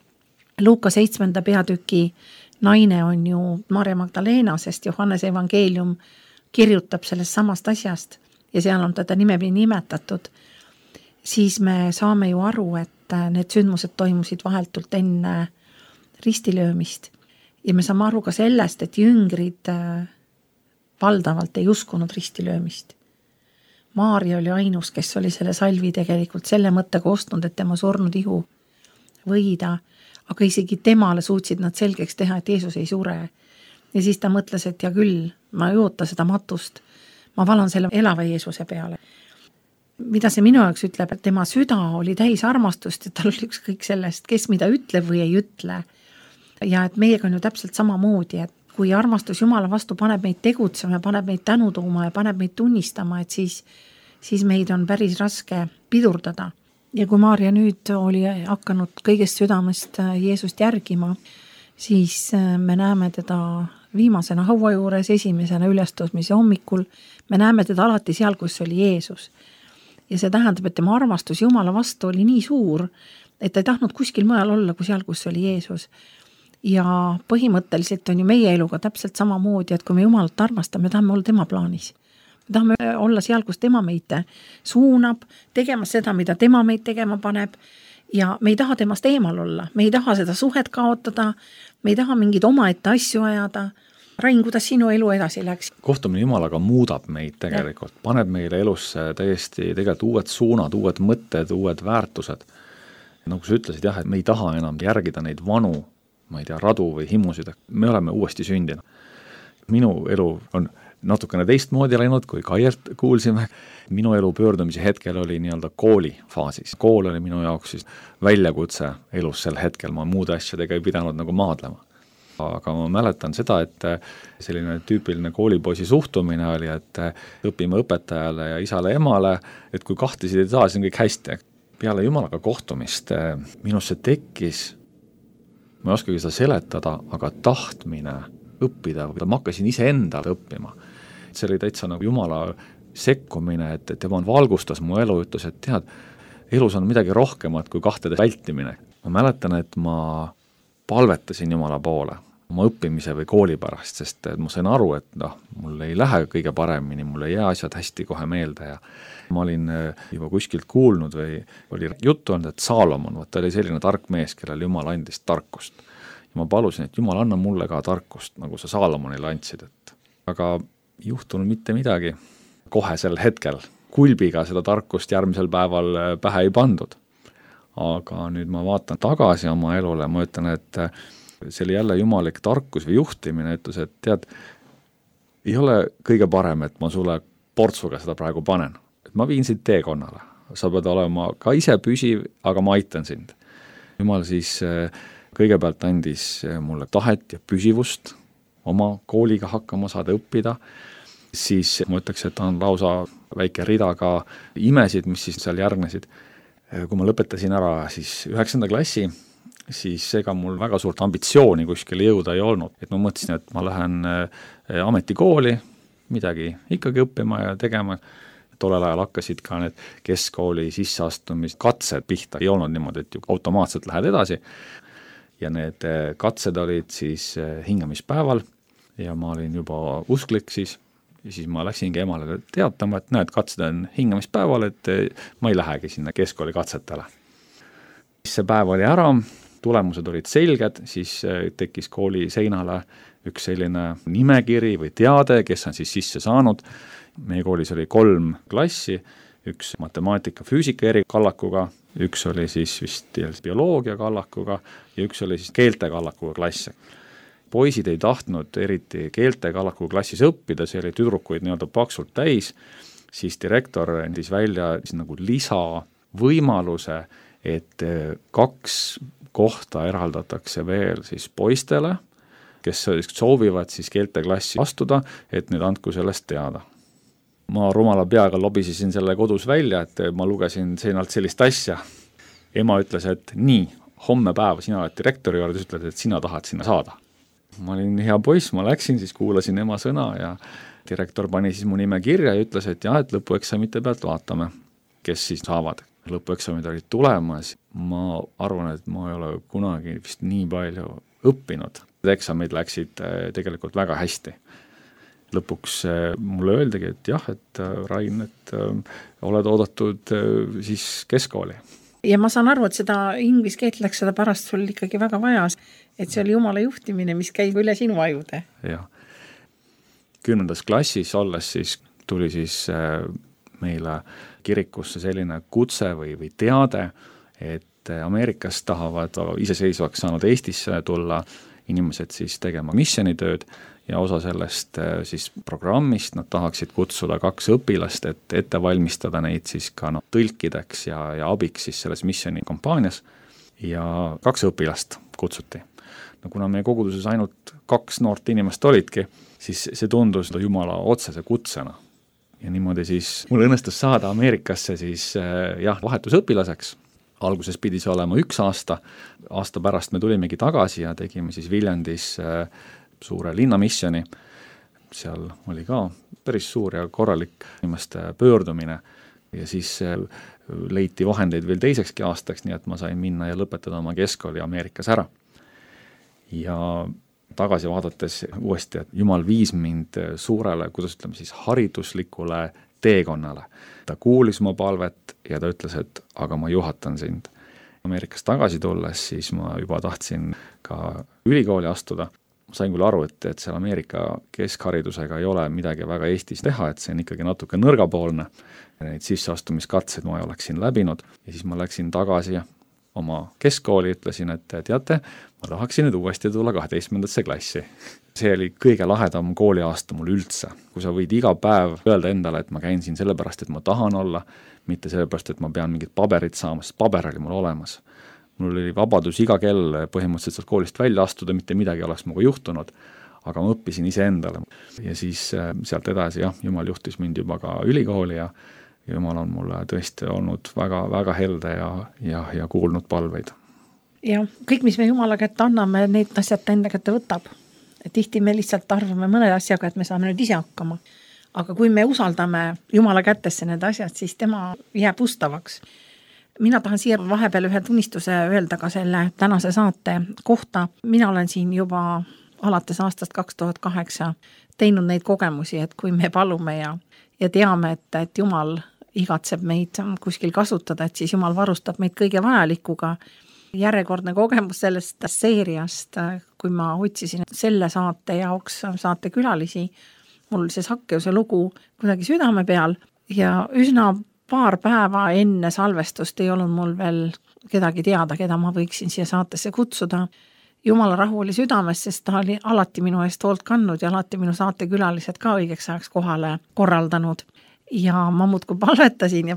Luuka 7. peatüki naine on ju Maarja Magdalena, sest Johannese evangeelium kirjutab sellest samast asjast ja seal on teda nimepidi nimetatud, siis me saame ju aru, et need sündmused toimusid vahetult enne ristilöömist ja me saame aru ka sellest, et jüngrid valdavalt ei uskunud ristilöömist. Maarja oli ainus, kes oli selle salvi tegelikult selle mõttega ostnud, et tema surnud ihu võida, aga isegi temale suutsid nad selgeks teha, et Jeesus ei sure. Ja siis ta mõtles, et ja küll, ma ei oota seda matust, ma valan selle elava Jeesuse peale. Mida see minu jaoks ütleb, et tema süda oli täis armastust ja tal oli ükskõik sellest, kes mida ütleb või ei ütle. Ja et meiega on ju täpselt samamoodi, et kui armastus Jumala vastu paneb meid tegutsema, paneb meid tänu tooma ja paneb meid tunnistama, et siis meid on päris raske pidurdada. Ja kui Maarja nüüd oli hakanud kõigest südamest Jeesust järgima, siis me näeme teda viimasena haua juures, esimesena ülestõusmise hommikul, me näeme teda alati seal, kus oli Jeesus. Ja see tähendab, et tema armastus Jumala vastu oli nii suur, et ta ei tahtnud kuskil mujal olla kui seal, kus oli Jeesus. Ja põhimõtteliselt on ju meie eluga täpselt samamoodi, et kui me Jumalat armastame, me tahame olla tema plaanis. Me tahame olla seal, kus tema meid suunab, tegema seda, mida tema meid tegema paneb ja me ei taha temast eemal olla, me ei taha seda suhet kaotada, me ei taha mingid omaette asju ajada. Rain, kuidas sinu elu edasi läks? Kohtumine Jumalaga muudab meid tegelikult, paneb meile elusse täiesti tegelikult uued suunad, uued mõtted, uued väärtused. Nagu sa ütlesid, et me ei taha enam järgida neid vanu, ma ei tea, radu või himusid, me oleme uuesti sündinud. Minu elu on natukene teistmoodi läinud, kui Kaiert kuulsime. Minu elu pöördumise hetkel oli nii-öelda kooli faasis. Kool oli minu jaoks siis väljakutse elus sel hetkel, ma muude asjadega ei pidanud nagu maadlema. Aga ma mäletan seda, et selline tüüpiline koolipoisi suhtumine oli, et õpime õpetajale ja isale emale, et kui kahtlesid ei saa, siis on kõik hästi. Peale Jumalaga kohtumist minusse tekkis, ma ei oskagi seda seletada, aga tahtmine õppida, ma hakkasin iseendale õppima. See oli täitsa nagu Jumala sekkumine, et tema valgustas mu elu, ütles, et tead, elus on midagi rohkemat kui kahtede vältimine. Ma mäletan, et ma palvetasin Jumala poole. oma õppimise või kooli pärast, sest ma sain aru, et mul ei lähe kõige paremini, mul ei jää asjad hästi kohe meelde ja ma olin juba kuskilt kuulnud või oli juttu olnud, et Saalomon, ta oli selline tark mees, kellel Jumal andis tarkust. Ja ma palusin, et Jumal, anna mulle ka tarkust, nagu sa Saalomonile andsid, aga juhtunud mitte midagi kohe sel hetkel. Kulbiga seda tarkust järgmisel päeval pähe ei pandud. Aga nüüd ma vaatan tagasi oma elule, ma ütlen, et see oli jälle jumalik tarkus või juhtimine, ütles, et tead, ei ole kõige parem, et ma sulle portsuga seda praegu panen. Et ma viin sind teekonnale. Sa pead olema ka ise püsiv, aga ma aitan sind. Jumal siis kõigepealt andis mulle tahet ja püsivust oma kooliga hakkama saada õppida. Siis ma ütleks, et on lausa väike rida ka imesid, mis siis seal järgnesid. Kui ma lõpetasin ära siis 9. klassi, siis ega mul väga suurt ambitsiooni kuskile jõuda ei olnud. Et ma mõtlesin, et ma lähen ametikooli midagi ikkagi õppima ja tegema. Tollel ajal hakkasid ka need keskkooli sisseastumiskatsed pihta. Ei olnud niimoodi, et automaatselt lähed edasi. Ja need katsed olid siis hingamispäeval ja ma olin juba usklik siis. Ja siis ma läksingi emale teatama, et näed, katsed on hingamispäeval, et ma ei lähegi sinna keskkooli katsetele. See päev oli ära, tulemused olid selged, siis tekkis kooli seinale üks selline nimekiri või teade, kes on siis sisse saanud. Meie koolis oli 3 klassi, üks matemaatika, füüsika erikallakuga, üks oli siis vist bioloogia kallakuga ja üks oli siis keelte kallakuga klass. Poisid ei tahtnud eriti keelte kallaku klassis õppida, see oli tüdrukuid nii-öelda paksult täis, siis direktor andis välja nagu lisavõimaluse, et 2 kohta eraldatakse veel siis poistele, kes soovivad siis keelte klassi astuda, et nüüd andku sellest teada. Ma rumala peaga lobisesin selle kodus välja, et ma lugesin seinalt sellist asja. Ema ütles, et nii, homme päeva sina oled direktori juurde, ütled, et sina tahad sinna saada. Ma olin hea poiss, ma läksin, siis kuulasin ema sõna ja direktor pani siis mu nime kirja ja ütles, et jah, et lõpueksamite pealt vaatame, kes siis saavad. Lõpueksamid olid tulemas, ma arvan, et ma ei ole kunagi vist nii palju õppinud. Eksamid läksid tegelikult väga hästi. Lõpuks mulle öeldagi, et jah, et Rain, et oled oodatud siis keskkooli. Ja ma saan aru, et seda inglise keelt läks seda pärast sul ikkagi väga vajas, et see oli Jumala juhtimine, mis käib üle sinu ajude. Jah. 10. klassis olles siis tuli siis meile kirikusse selline kutse või teade, et Ameerikas tahavad iseseisvaks saanud Eestisse tulla inimesed siis tegema missionitööd ja osa sellest siis programmist nad tahaksid kutsuda 2 õpilast, et ette valmistada neid siis ka tõlkideks ja abiks siis selles missioni kampaanias ja 2 õpilast kutsuti. No kuna meie koguduses ainult 2 noort inimest olidki, siis see tundus Jumala otsese kutsena. Ja niimoodi siis mul õnnestus saada Ameerikasse siis vahetusõpilaseks. Alguses pidi see olema 1 aasta. Aasta pärast me tulimegi tagasi ja tegime siis Viljandis suure linnamissioni. Seal oli ka päris suur ja korralik inimeste pöördumine ja siis leiti vahendeid veel teisekski aastaks, nii et ma sain minna ja lõpetada oma keskkooli Ameerikas ära. Ja tagasi vaadates uuesti, et Jumal viis mind suurele, kuidas ütleme siis, hariduslikule teekonnale. Ta kuulis mu palvet ja ta ütles, et aga ma juhatan sind. Ameerikas tagasi tulles, siis ma juba tahtsin ka ülikooli astuda. Ma sain küll aru, et seal Ameerika keskharidusega ei ole midagi väga Eestis teha, et see on ikkagi natuke nõrgapoolne. Neid sisseastumiskatseid ma oleksin läbinud ja siis ma läksin tagasi oma keskkooli, ütlesin, et teate, ma tahaksin nüüd uuesti tulla 12. klassi. See oli kõige lahedam kooliaasta mul üldse. Kui sa võid iga päev öelda endale, et ma käin siin sellepärast, et ma tahan olla, mitte sellepärast, et ma pean mingit paberit saama, sest paber oli mul olemas. Mul oli vabadus iga kell põhimõtteliselt sealt koolist välja astuda, mitte midagi oleks muga juhtunud, aga ma õppisin ise endale. Ja siis sealt edasi, Jumal juhtis mind juba ka ülikooli ja Jumal on mulle tõesti olnud väga, väga helde ja kuulnud palveid. Ja kõik, mis me Jumala kätte anname, neid asjad ta enda kätte võtab. Tihti me lihtsalt arvame mõne asjaga, et me saame nüüd ise hakkama. Aga kui me usaldame Jumala kätesse need asjad, siis tema jääb ustavaks. Mina tahan siia vahepeal ühe tunnistuse öelda ka selle tänase saate kohta. Mina olen siin juba alates aastast 2008 teinud neid kogemusi, et kui me palume ja teame, et Jumal igatseb meid kuskil kasutada, et siis Jumal varustab meid kõige vajalikuga. Järjekordne kogemus sellest seeriast, kui ma otsisin selle saate jaoks saatekülalisi, mul see Sakkeuse lugu kuidagi südame peal ja üsna paar päeva enne salvestust ei olnud mul veel kedagi teada, keda ma võiksin siia saatesse kutsuda. Jumala rahu oli südames, sest ta oli alati minu eest hoolt kandnud ja alati minu saatekülalised ka õigeks ajaks kohale korraldanud. Ja ma muudkui palvetasin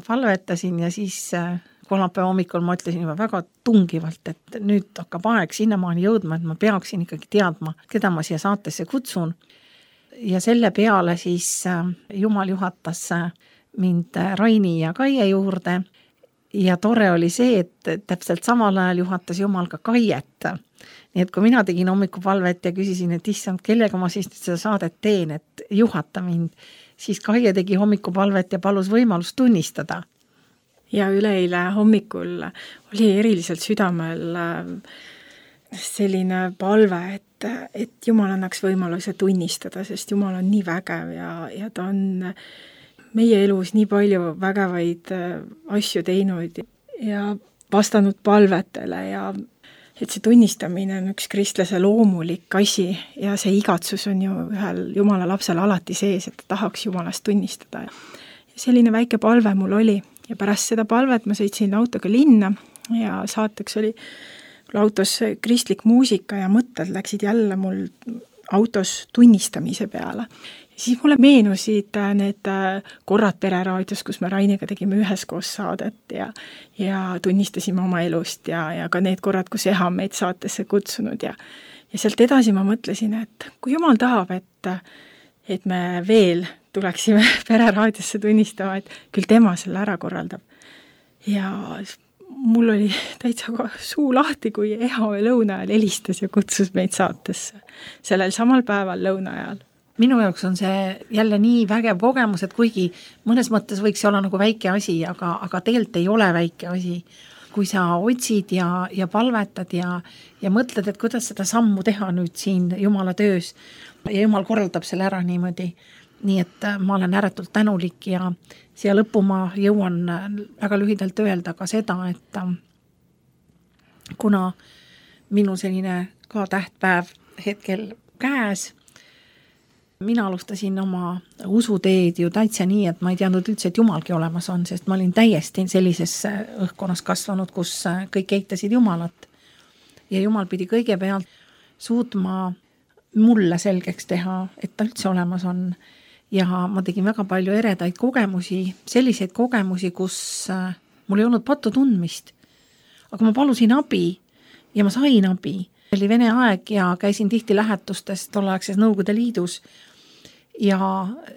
ja siis kolmapäeva hommikul ma ütlesin juba väga tungivalt, et nüüd hakkab aeg sinnamaani jõudma, et ma peaksin ikkagi teadma, keda ma siia saatesse kutsun. Ja selle peale siis Jumal juhatas mind Raini ja Kaie juurde ja tore oli see, et täpselt samal ajal juhatas Jumal ka Kaiet. Nii et kui mina tegin hommikupalvet ja küsisin, et issand, kellega ma siis seda saadet teen, et juhata mind, siis Kaie tegi hommikupalvet ja palus võimalust tunnistada. Ja üleeile hommikul oli eriliselt südamel selline palve, et Jumal annaks võimaluse tunnistada, sest Jumal on nii vägev ja ta on meie elus nii palju vägevaid asju teinud ja vastanud palvetele ja et see tunnistamine on üks kristlase loomulik asi ja see igatsus on ju ühel Jumala lapsel alati sees, et ta tahaks Jumalast tunnistada. Ja selline väike palve mul oli ja pärast seda palvet ma sõitsin autoga linna ja saateks oli autos kristlik muusika ja mõtted läksid jälle mul autos tunnistamise peale. Ja siis mulle meenusid need korrad Pereraadios, kus me Rainiga tegime üheskoos saadet ja tunnistasime oma elust ja ka need korrad, kus Eha meid saatesse kutsunud ja sealt edasi ma mõtlesin, et kui Jumal tahab, et me veel tuleksime Pereraadiosse tunnistama, et küll tema selle ära korraldab. Ja mul oli täitsa suu lahti, kui Eha lõuna ajal helistas ja kutsus meid saatesse sellel samal päeval lõuna ajal. Minu jaoks on see jälle nii vägev kogemus, et kuigi mõnes mõttes võiks olla nagu väike asi, aga tegelikult ei ole väike asi. Kui sa otsid ja palvetad ja mõtled, et kuidas seda sammu teha nüüd siin Jumala töös ja Jumal korraldab selle ära niimoodi. Nii et ma olen ääretult tänulik ja siia lõppu ma jõuan väga lühidalt öelda ka seda, et kuna minu selline ka tähtpäev hetkel käes, mina alustasin oma usuteed ju täitsa nii, et ma ei teadnud üldse, et Jumalgi olemas on, sest ma olin täiesti sellises õhkkonnas kasvanud, kus kõik eitasid Jumalat. Ja Jumal pidi kõigepealt suutma mulle selgeks teha, et ta üldse olemas on. Ja ma tegin väga palju eredaid kogemusi, selliseid kogemusi, kus mul ei olnud patu tundmist. Aga ma palusin abi ja ma sain abi. Oli Vene aeg ja käisin tihti lähetustes tolleaegses Nõukogude Liidus ja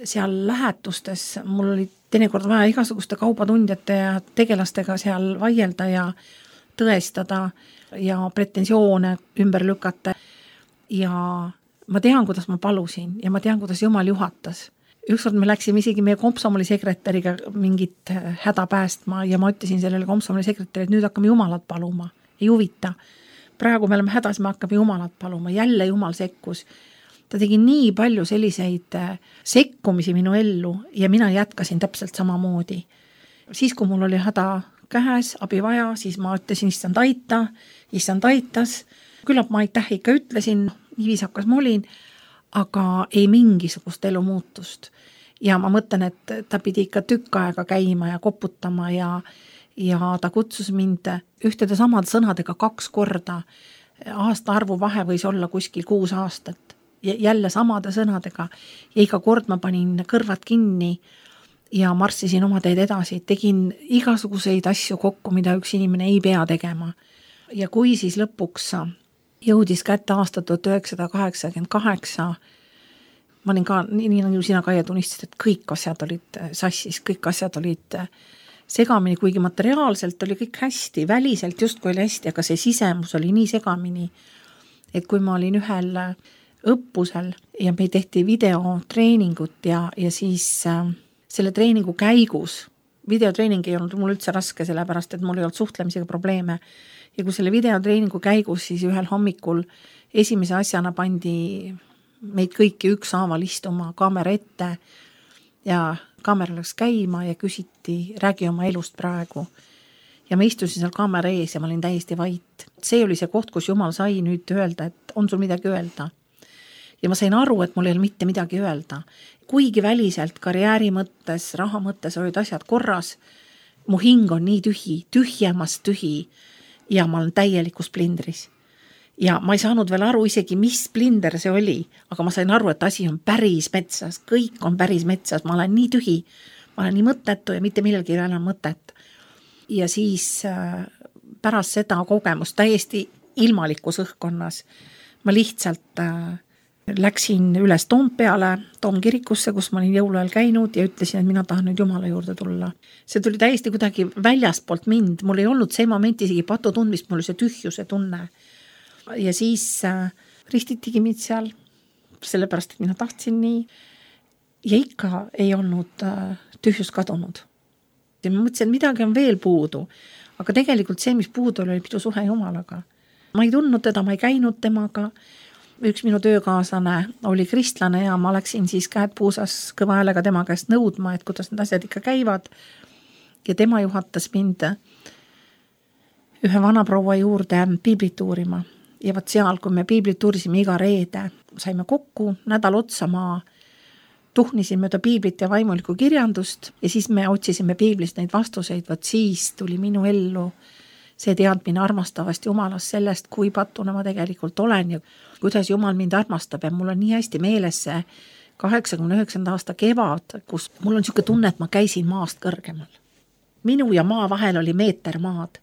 seal lähetustes mul oli teinekord vaja igasuguste kaubatundjate ja tegelastega seal vaielda ja tõestada ja pretensioone ümber lükata. Ja ma tean, kuidas ma palusin ja ma tean, kuidas Jumal juhatas. Ükskord me läksime isegi meie komsomoli sekretäriga mingit häda päästma ja ma ütlesin sellele komsomoli sekretäri, et nüüd hakkame Jumalat paluma. Ei huvita. Praegu me oleme hädas, me hakkame Jumalat paluma. Jälle Jumal sekkus. Ta tegi nii palju selliseid sekkumisi minu ellu ja mina jätkasin täpselt samamoodi. Siis, kui mul oli häda käes, abi vaja, siis ma ütlesin, issand aitas. Küllap ma aitäh ikka ütlesin, nii viisakas ma olin, aga ei mingisugust elu muutust. Ja ma mõtlen, et ta pidi ikka tükk aega käima ja koputama ja ta kutsus mind ühtede samade sõnadega 2 korda. Aasta arvu vahe võis olla kuskil 6 aastat. Ja jälle samade sõnadega. Ja iga kord ma panin kõrvad kinni ja marssisin oma teed edasi. Tegin igasuguseid asju kokku, mida üks inimene ei pea tegema. Ja kui siis lõpuks jõudis kätte aasta 1988, ma olin ka, nii nagu sina Kaie tunnistasid, et kõik asjad olid sassis, kõik asjad olid segamini, kuigi materiaalselt oli kõik hästi, väliselt justkui oli hästi, aga see sisemus oli nii segamini, et kui ma olin ühel õppusel ja me tehti videotreeningut ja siis selle treeningu käigus, videotreening ei olnud mul üldse raske, sellepärast, et mul ei olnud suhtlemisega probleeme ja kui selle videotreeningu käigus siis ühel hommikul esimese asjana pandi meid kõiki ükshaaval istuma kaamera ette ja kaamera läks käima ja küsiti, räägi oma elust praegu. Ja ma istusin seal kaamera ees ja ma olin täiesti vait. See oli see koht, kus Jumal sai nüüd öelda, et on sul midagi öelda. Ja ma sain aru, et mul ei ole mitte midagi öelda. Kuigi väliselt, karjääri mõttes, raha mõttes olid asjad korras, mu hing on nii tühi, tühjemast tühi ja ma olen täielikus plindris. Ja ma ei saanud veel aru isegi, mis splinder see oli, aga ma sain aru, et asi on päris metsas, kõik on päris metsas, ma olen nii tühi, ma olen nii mõttetu ja mitte millelgi ei ole mõtet. Ja siis pärast seda kogemust täiesti ilmalikus õhkkonnas ma lihtsalt läksin üles Toompeale, Toomkirikusse, kus ma olin jõuluajal käinud ja ütlesin, et mina tahan nüüd Jumala juurde tulla. See tuli täiesti kuidagi väljastpoolt mind, mul ei olnud see moment isegi patu tundmist, mul oli see tühjuse tunne. Ja siis ristitigi mind seal, sellepärast, et mina tahtsin nii. Ja ikka ei olnud tühjus kadunud. Ja ma mõtlesin, et midagi on veel puudu. Aga tegelikult see, mis puudu oli pidu suhe Jumalaga. Ma ei tundnud teda, ma ei käinud temaga. Üks minu töökaaslane oli kristlane ja ma läksin siis käed puusas kõva häälega tema käest nõudma, et kuidas need asjad ikka käivad. Ja tema juhatas mind ühe vana proua juurde piiblit uurima. Ja võt seal, kui me piiblit uurisime iga reede, saime kokku, nädal otsa ma tuhnisin mööda piiblit ja vaimulikku kirjandust ja siis me otsisime piiblist neid vastuseid, võt siis tuli minu ellu see teadmine armastavast Jumalast sellest, kui patuna ma tegelikult olen ja kuidas Jumal mind armastab ja mul on nii hästi meeles see 89. aasta kevad, kus mul on niisugune tunne, et ma käisin maast kõrgemal. Minu ja maa vahel oli meeter maad.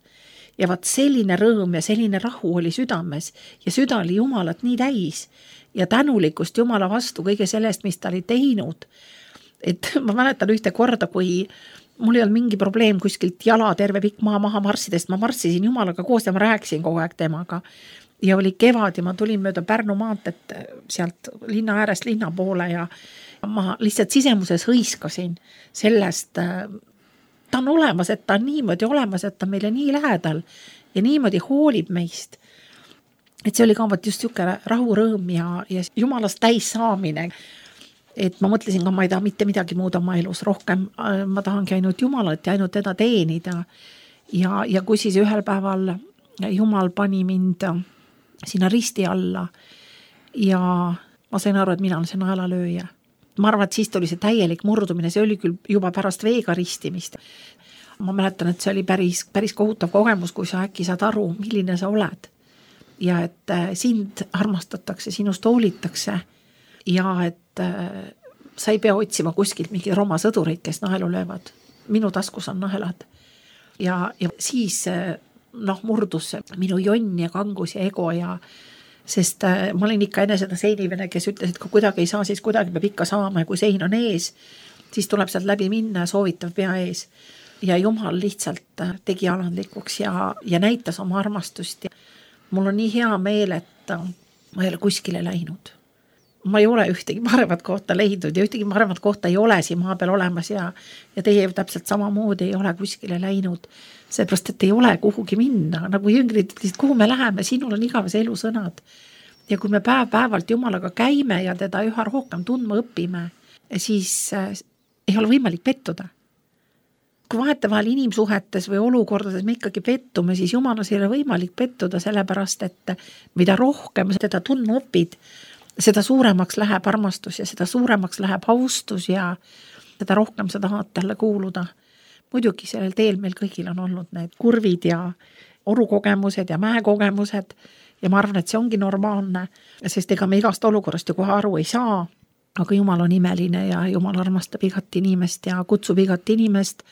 Ja vaat selline rõõm ja selline rahu oli südames ja süda oli Jumalat nii täis ja tänulikust Jumala vastu kõige sellest, mis ta oli teinud. Et ma mäletan ühte korda, kui mul ei olnud mingi probleem kuskilt jala terve pikk maa maha marssidest, ma marssisin Jumalaga koos ja ma rääkisin kogu aeg temaga. Ja oli kevad ja ma tulin mööda Pärnu maanteed sealt linna äärest linna poole ja ma lihtsalt sisemuses hõiskasin sellest ta on olemas, et ta on niimoodi olemas, et ta meile nii lähedal ja niimoodi hoolib meist. Et see oli ka just niisugune rahurõõm ja Jumalast täis saamine. Et ma mõtlesin ka, ma ei taha mitte midagi muud oma elus rohkem, ma tahangi ainult Jumalat ja ainult teda teenida. Ja kui siis ühel päeval Jumal pani mind sinna risti alla ja ma sain aru, et mina olen see naelalööja. Ma arvan, et siis tuli see täielik murdumine, see oli küll juba pärast veega ristimist. Ma mäletan, et see oli päris kohutav kogemus, kui sa äkki saad aru, milline sa oled. Ja et sind armastatakse, sinust hoolitakse ja et sa ei pea otsima kuskilt mingi Roma sõdureid, kes naelu löövad. Minu taskus on naelad. Ja siis murdus minu jonn ja kangus ja ego ja sest ma olin ikka enne seda seinivene, kes ütles, et kui kuidagi ei saa, siis kuidagi peab ikka saama ja kui sein on ees, siis tuleb sealt läbi minna ja soovitav pea ees. Ja Jumal lihtsalt tegi alandlikuks ja näitas oma armastust. Ja mul on nii hea meel, et ma ei ole kuskile läinud. Ma ei ole ühtegi paremat kohta leidnud ja ühtegi paremat kohta ei ole siin maa peal olemas ja teie täpselt samamoodi ei ole kuskile läinud. Seepärast, et ei ole kuhugi minna. Nagu jüngrid ütlesid, kuhu me läheme, sinul on igavese elusõnad. Ja kui me päevalt Jumalaga käime ja teda üha rohkem tundma õpime, siis ei ole võimalik pettuda. Kui vahetevahel inimsuhetes või olukordades me ikkagi pettume, siis Jumalas ei ole võimalik pettuda, sellepärast, et mida rohkem teda tundma õpid, seda suuremaks läheb armastus ja seda suuremaks läheb austus ja seda rohkem sa tahad talle kuuluda. Muidugi sellel teel meil kõigil on olnud need kurvid ja orukogemused ja mäekogemused ja ma arvan, et see ongi normaalne, sest ega me igast olukorrast ju kohe aru ei saa, aga Jumal on imeline ja Jumal armastab igat inimest ja kutsub igat inimest,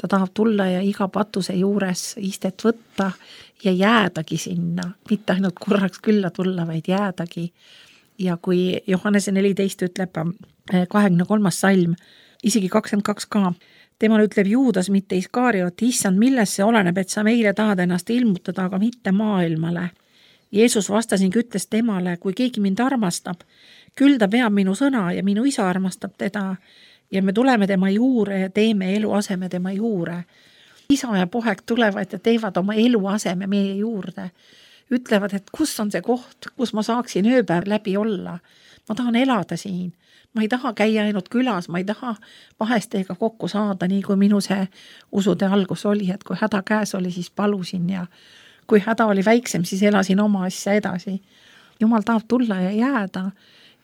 ta tahab tulla ja iga patuse juures istet võtta ja jäädagi sinna, mitte ainult korraks külla tulla, vaid jäädagi. Ja kui Johannese 14 ütleb 23. salm, isegi 22 ka, temal ütleb Juudas, mitte Iskariot, issand, milles see oleneb, et sa meile tahad ennast ilmutada, aga mitte maailmale. Jeesus vastasin, ütles temale, kui keegi mind armastab, küll ta peab minu sõna ja minu isa armastab teda ja me tuleme tema juure ja teeme eluaseme tema juure. Isa ja poeg tulevad ja teevad oma eluaseme meie juurde. ütlevad, et kus on see koht, kus ma saaksin ööpäev läbi olla. Ma tahan elada siin. Ma ei taha käia ainult külas, ma ei taha vahest teiega kokku saada, nii kui minu see usude algus oli, et kui häda käes oli, siis palusin ja kui häda oli väiksem, siis elasin oma asja edasi. Jumal tahab tulla ja jääda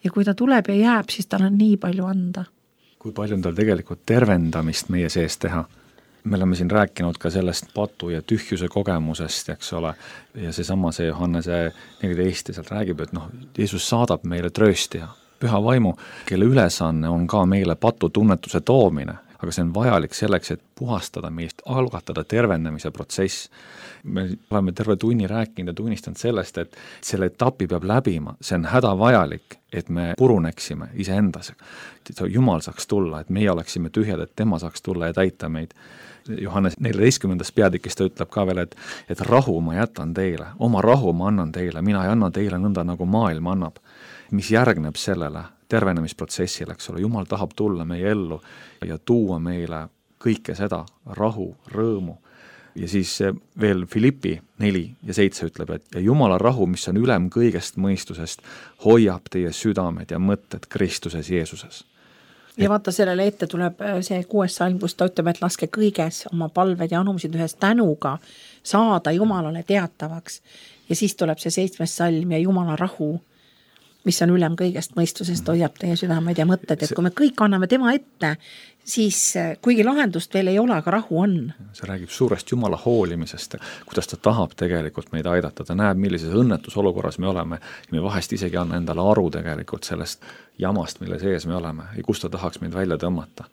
ja kui ta tuleb ja jääb, siis tal on nii palju anda. Kui palju on tal tegelikult tervendamist meie sees teha? Me oleme siin rääkinud ka sellest patu ja tühjuse kogemusest, eks ole, ja seesama see Johannese 14 sealt räägib, et Jeesus saadab meile trööstija, püha vaimu, kelle ülesanne on ka meile patutunnetuse toomine, aga see on vajalik selleks, et puhastada meist, algatada tervendamise protsess. Me oleme terve tunni rääkinud ja tunnistanud sellest, et selle etapi peab läbima, see on hädavajalik, et me puruneksime iseendas. Jumal saaks tulla, et meie oleksime tühjad, et tema saaks tulla ja täita meid. Johannes 14. peatükis ta ütleb ka veel, et rahu ma jätan teile, oma rahu ma annan teile, mina ei anna teile nõnda, nagu maailm annab. Mis järgneb sellele tervenemisprotsessile, eks ole, Jumal tahab tulla meie ellu ja tuua meile kõike seda, rahu, rõõmu. Ja siis veel Filippi 4 ja 7 ütleb, et ja Jumala rahu, mis on ülem kõigest mõistusest, hoiab teie südamed ja mõtted Kristuses Jeesuses. Ja vaata, sellele ette tuleb see 6. salm, kus ta ütleb, et laske kõiges oma palved ja anumsid ühes tänuga saada Jumalale teatavaks. Ja siis tuleb see 7. salm ja Jumala rahu, mis on ülem kõigest mõistusest, hoiab teie südamed ja mõtted, et kui me kõik anname tema ette, siis kuigi lahendust veel ei ole, aga rahu on. See räägib suurest Jumala hoolimisest, kuidas ta tahab tegelikult meid aidata, ta näeb, millises õnnetusolukorras me oleme ja me vahest isegi anna endale aru tegelikult sellest jamast, mille sees me oleme ja kus ta tahaks meid välja tõmmata.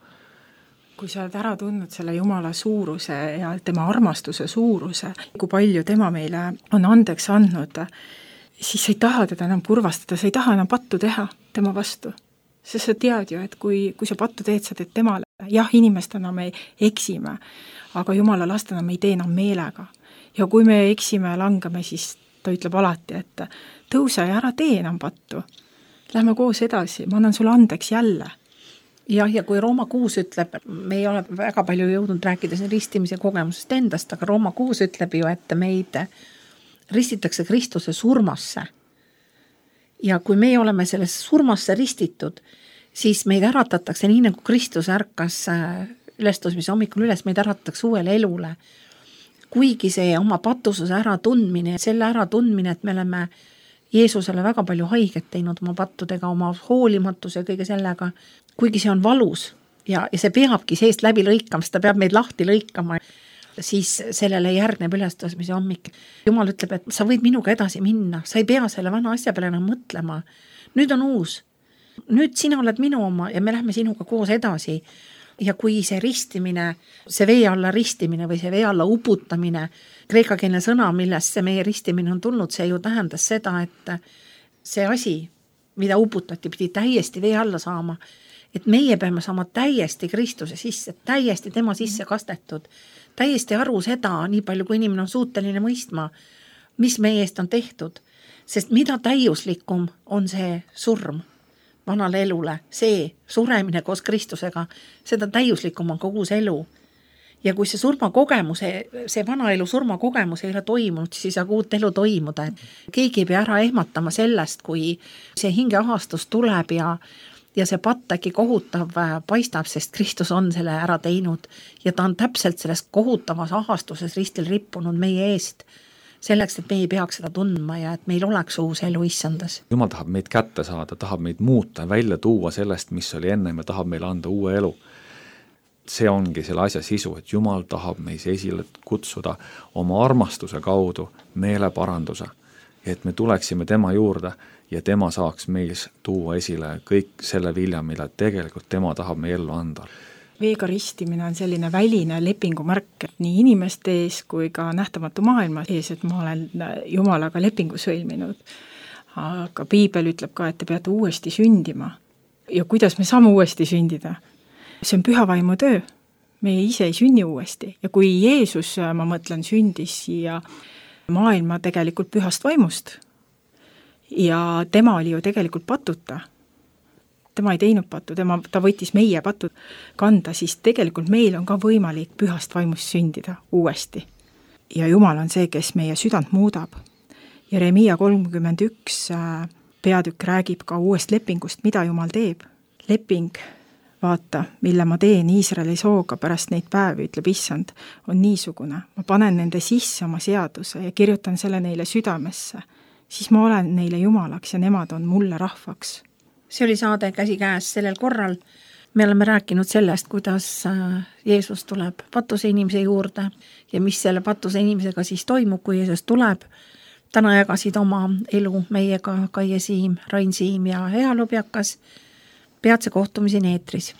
Kui sa oled ära tundnud selle Jumala suuruse ja tema armastuse suuruse, kui palju tema meile on andeks andnud, siis sa ei taha teda enam kurvastada, sa ei taha enam pattu teha tema vastu. Sest sa tead ju, et kui sa pattu teed, sa teed temale. Jah, inimestena me eksime, aga Jumala lastena me ei tee enam meelega. Ja kui me eksime ja langame, siis ta ütleb alati, et tõuse ja ära tee enam pattu. Lähme koos edasi, ma annan sulle andeks jälle. Jah, ja kui Rooma 6 ütleb, me ei ole väga palju jõudnud rääkida siin ristimise kogemusest endast, aga Rooma 6 ütleb ju, et meid ristitakse Kristuse surmasse. Ja kui me oleme selles surmasse ristitud, siis meid äratatakse nii, nagu Kristus ärkas ülestõusmise hommikul üles, meid äratatakse uuele elule. Kuigi see oma patususe äratundmine, selle äratundmine, et me oleme Jeesusele väga palju haiget teinud oma pattudega, oma hoolimatuse ja kõige sellega, kuigi see on valus ja see peabki seest läbi lõikama, ta peab meid lahti lõikama, siis sellele järgneb ülestõusmise hommik. Jumal ütleb, et sa võid minuga edasi minna, sa ei pea selle vana asja peale enam mõtlema. Nüüd on uus. Nüüd sina oled minu oma ja me lähme sinuga koos edasi. Ja kui see ristimine, see vee alla ristimine või see vee alla uputamine, kreekakeelne sõna, millest see meie ristimine on tulnud, see ju tähendas seda, et see asi, mida uputati, pidi täiesti vee alla saama, et meie peame saama täiesti Kristuse sisse, täiesti tema sisse kastetud, täiesti aru seda, nii palju kui inimene on suuteline mõistma, mis meie eest on tehtud, sest mida täiuslikum on see surm vanale elule, see suremine koos Kristusega, seda täiuslikum on kogu see elu. Ja kui see surmakogemus, see vana elu surmakogemus ei ole toimunud, siis ei saa uut elu toimuda. Keegi ei pea ära ehmatama sellest, kui see hingeahastus tuleb ja see patt äkki kohutav paistab, sest Kristus on selle ära teinud ja ta on täpselt selles kohutavas ahastuses ristil rippunud meie eest, selleks, et me ei peaks seda tundma ja et meil oleks uus elu issandas. Jumal tahab meid kätte saada, tahab meid muuta, välja tuua sellest, mis oli enne ja tahab meile anda uue elu. See ongi selle asja sisu, et Jumal tahab meis esile kutsuda oma armastuse kaudu meeleparanduse, et me tuleksime tema juurde ja tema saaks meis tuua esile kõik selle vilja, mida tegelikult tema tahab meie ellu anda. Veega ristimine on selline väline lepingumärk nii inimeste ees kui ka nähtamatu maailma ees, et ma olen Jumalaga lepingu sõlminud. Aga Piibel ütleb ka, et te peate uuesti sündima. Ja kuidas me saame uuesti sündida? See on püha vaimu töö. Me ise ei sünni uuesti. Ja kui Jeesus, ma mõtlen, sündis siia maailma tegelikult pühast vaimust ja tema oli ju tegelikult patuta. Tema ei teinud pattu, ta võttis meie pattu kanda, siis tegelikult meil on ka võimalik pühast vaimust sündida uuesti. Ja Jumal on see, kes meie südant muudab. Jeremiia 31 peatükk räägib ka uuest lepingust, mida Jumal teeb. Leping, vaata, mille ma teen Iisraeli sooga pärast neid päevi, ütleb Issand, on niisugune. Ma panen nende sisse oma seaduse ja kirjutan selle neile südamesse. Siis ma olen neile Jumalaks ja nemad on mulle rahvaks. See oli saade Käsikäes sellel korral. Me oleme rääkinud sellest, kuidas Jeesus tuleb patuse inimese juurde ja mis selle patuse inimesega siis toimub, kui Jeesus tuleb. Täna jagasid oma elu meiega Kaie Siim, Rain Siim ja Hea Lubjakas. Peatse kohtumiseni eetris.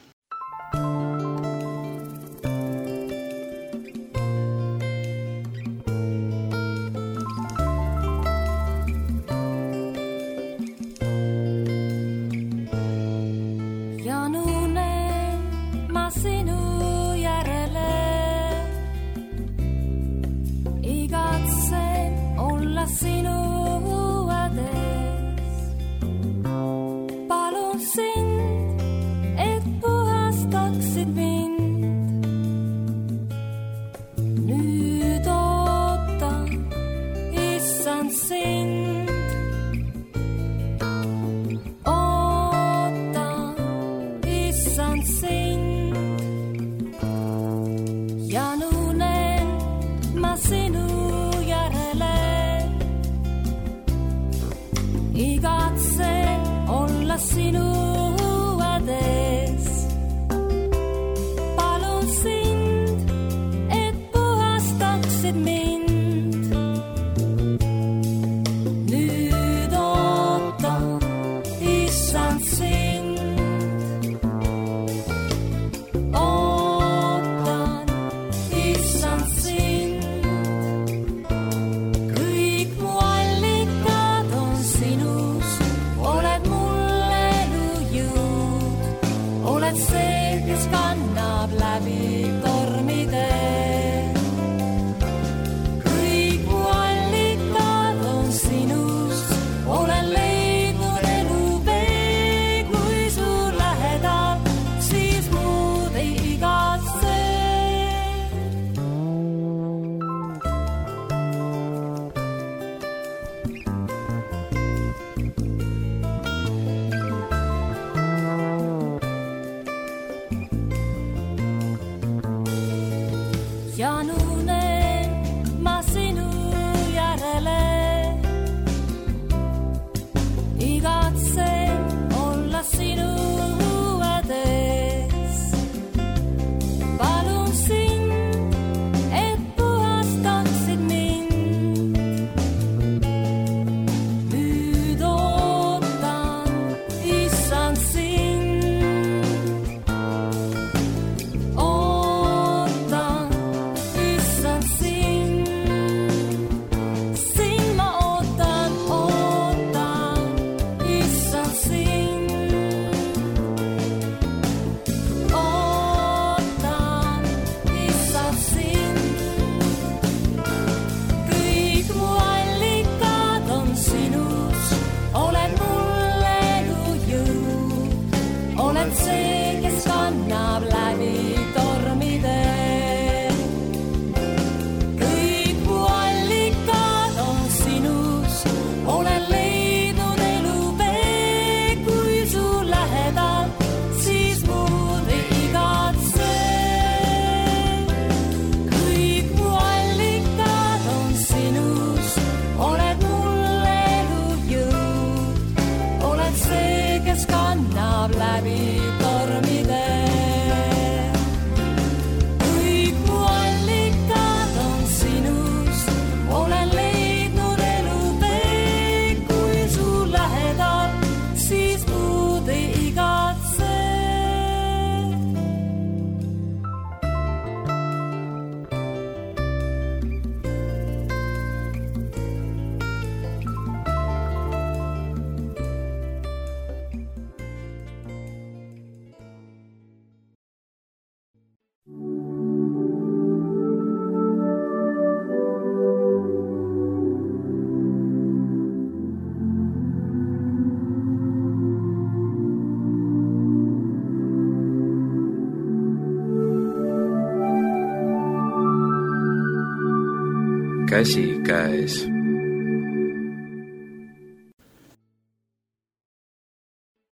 Käsikäes.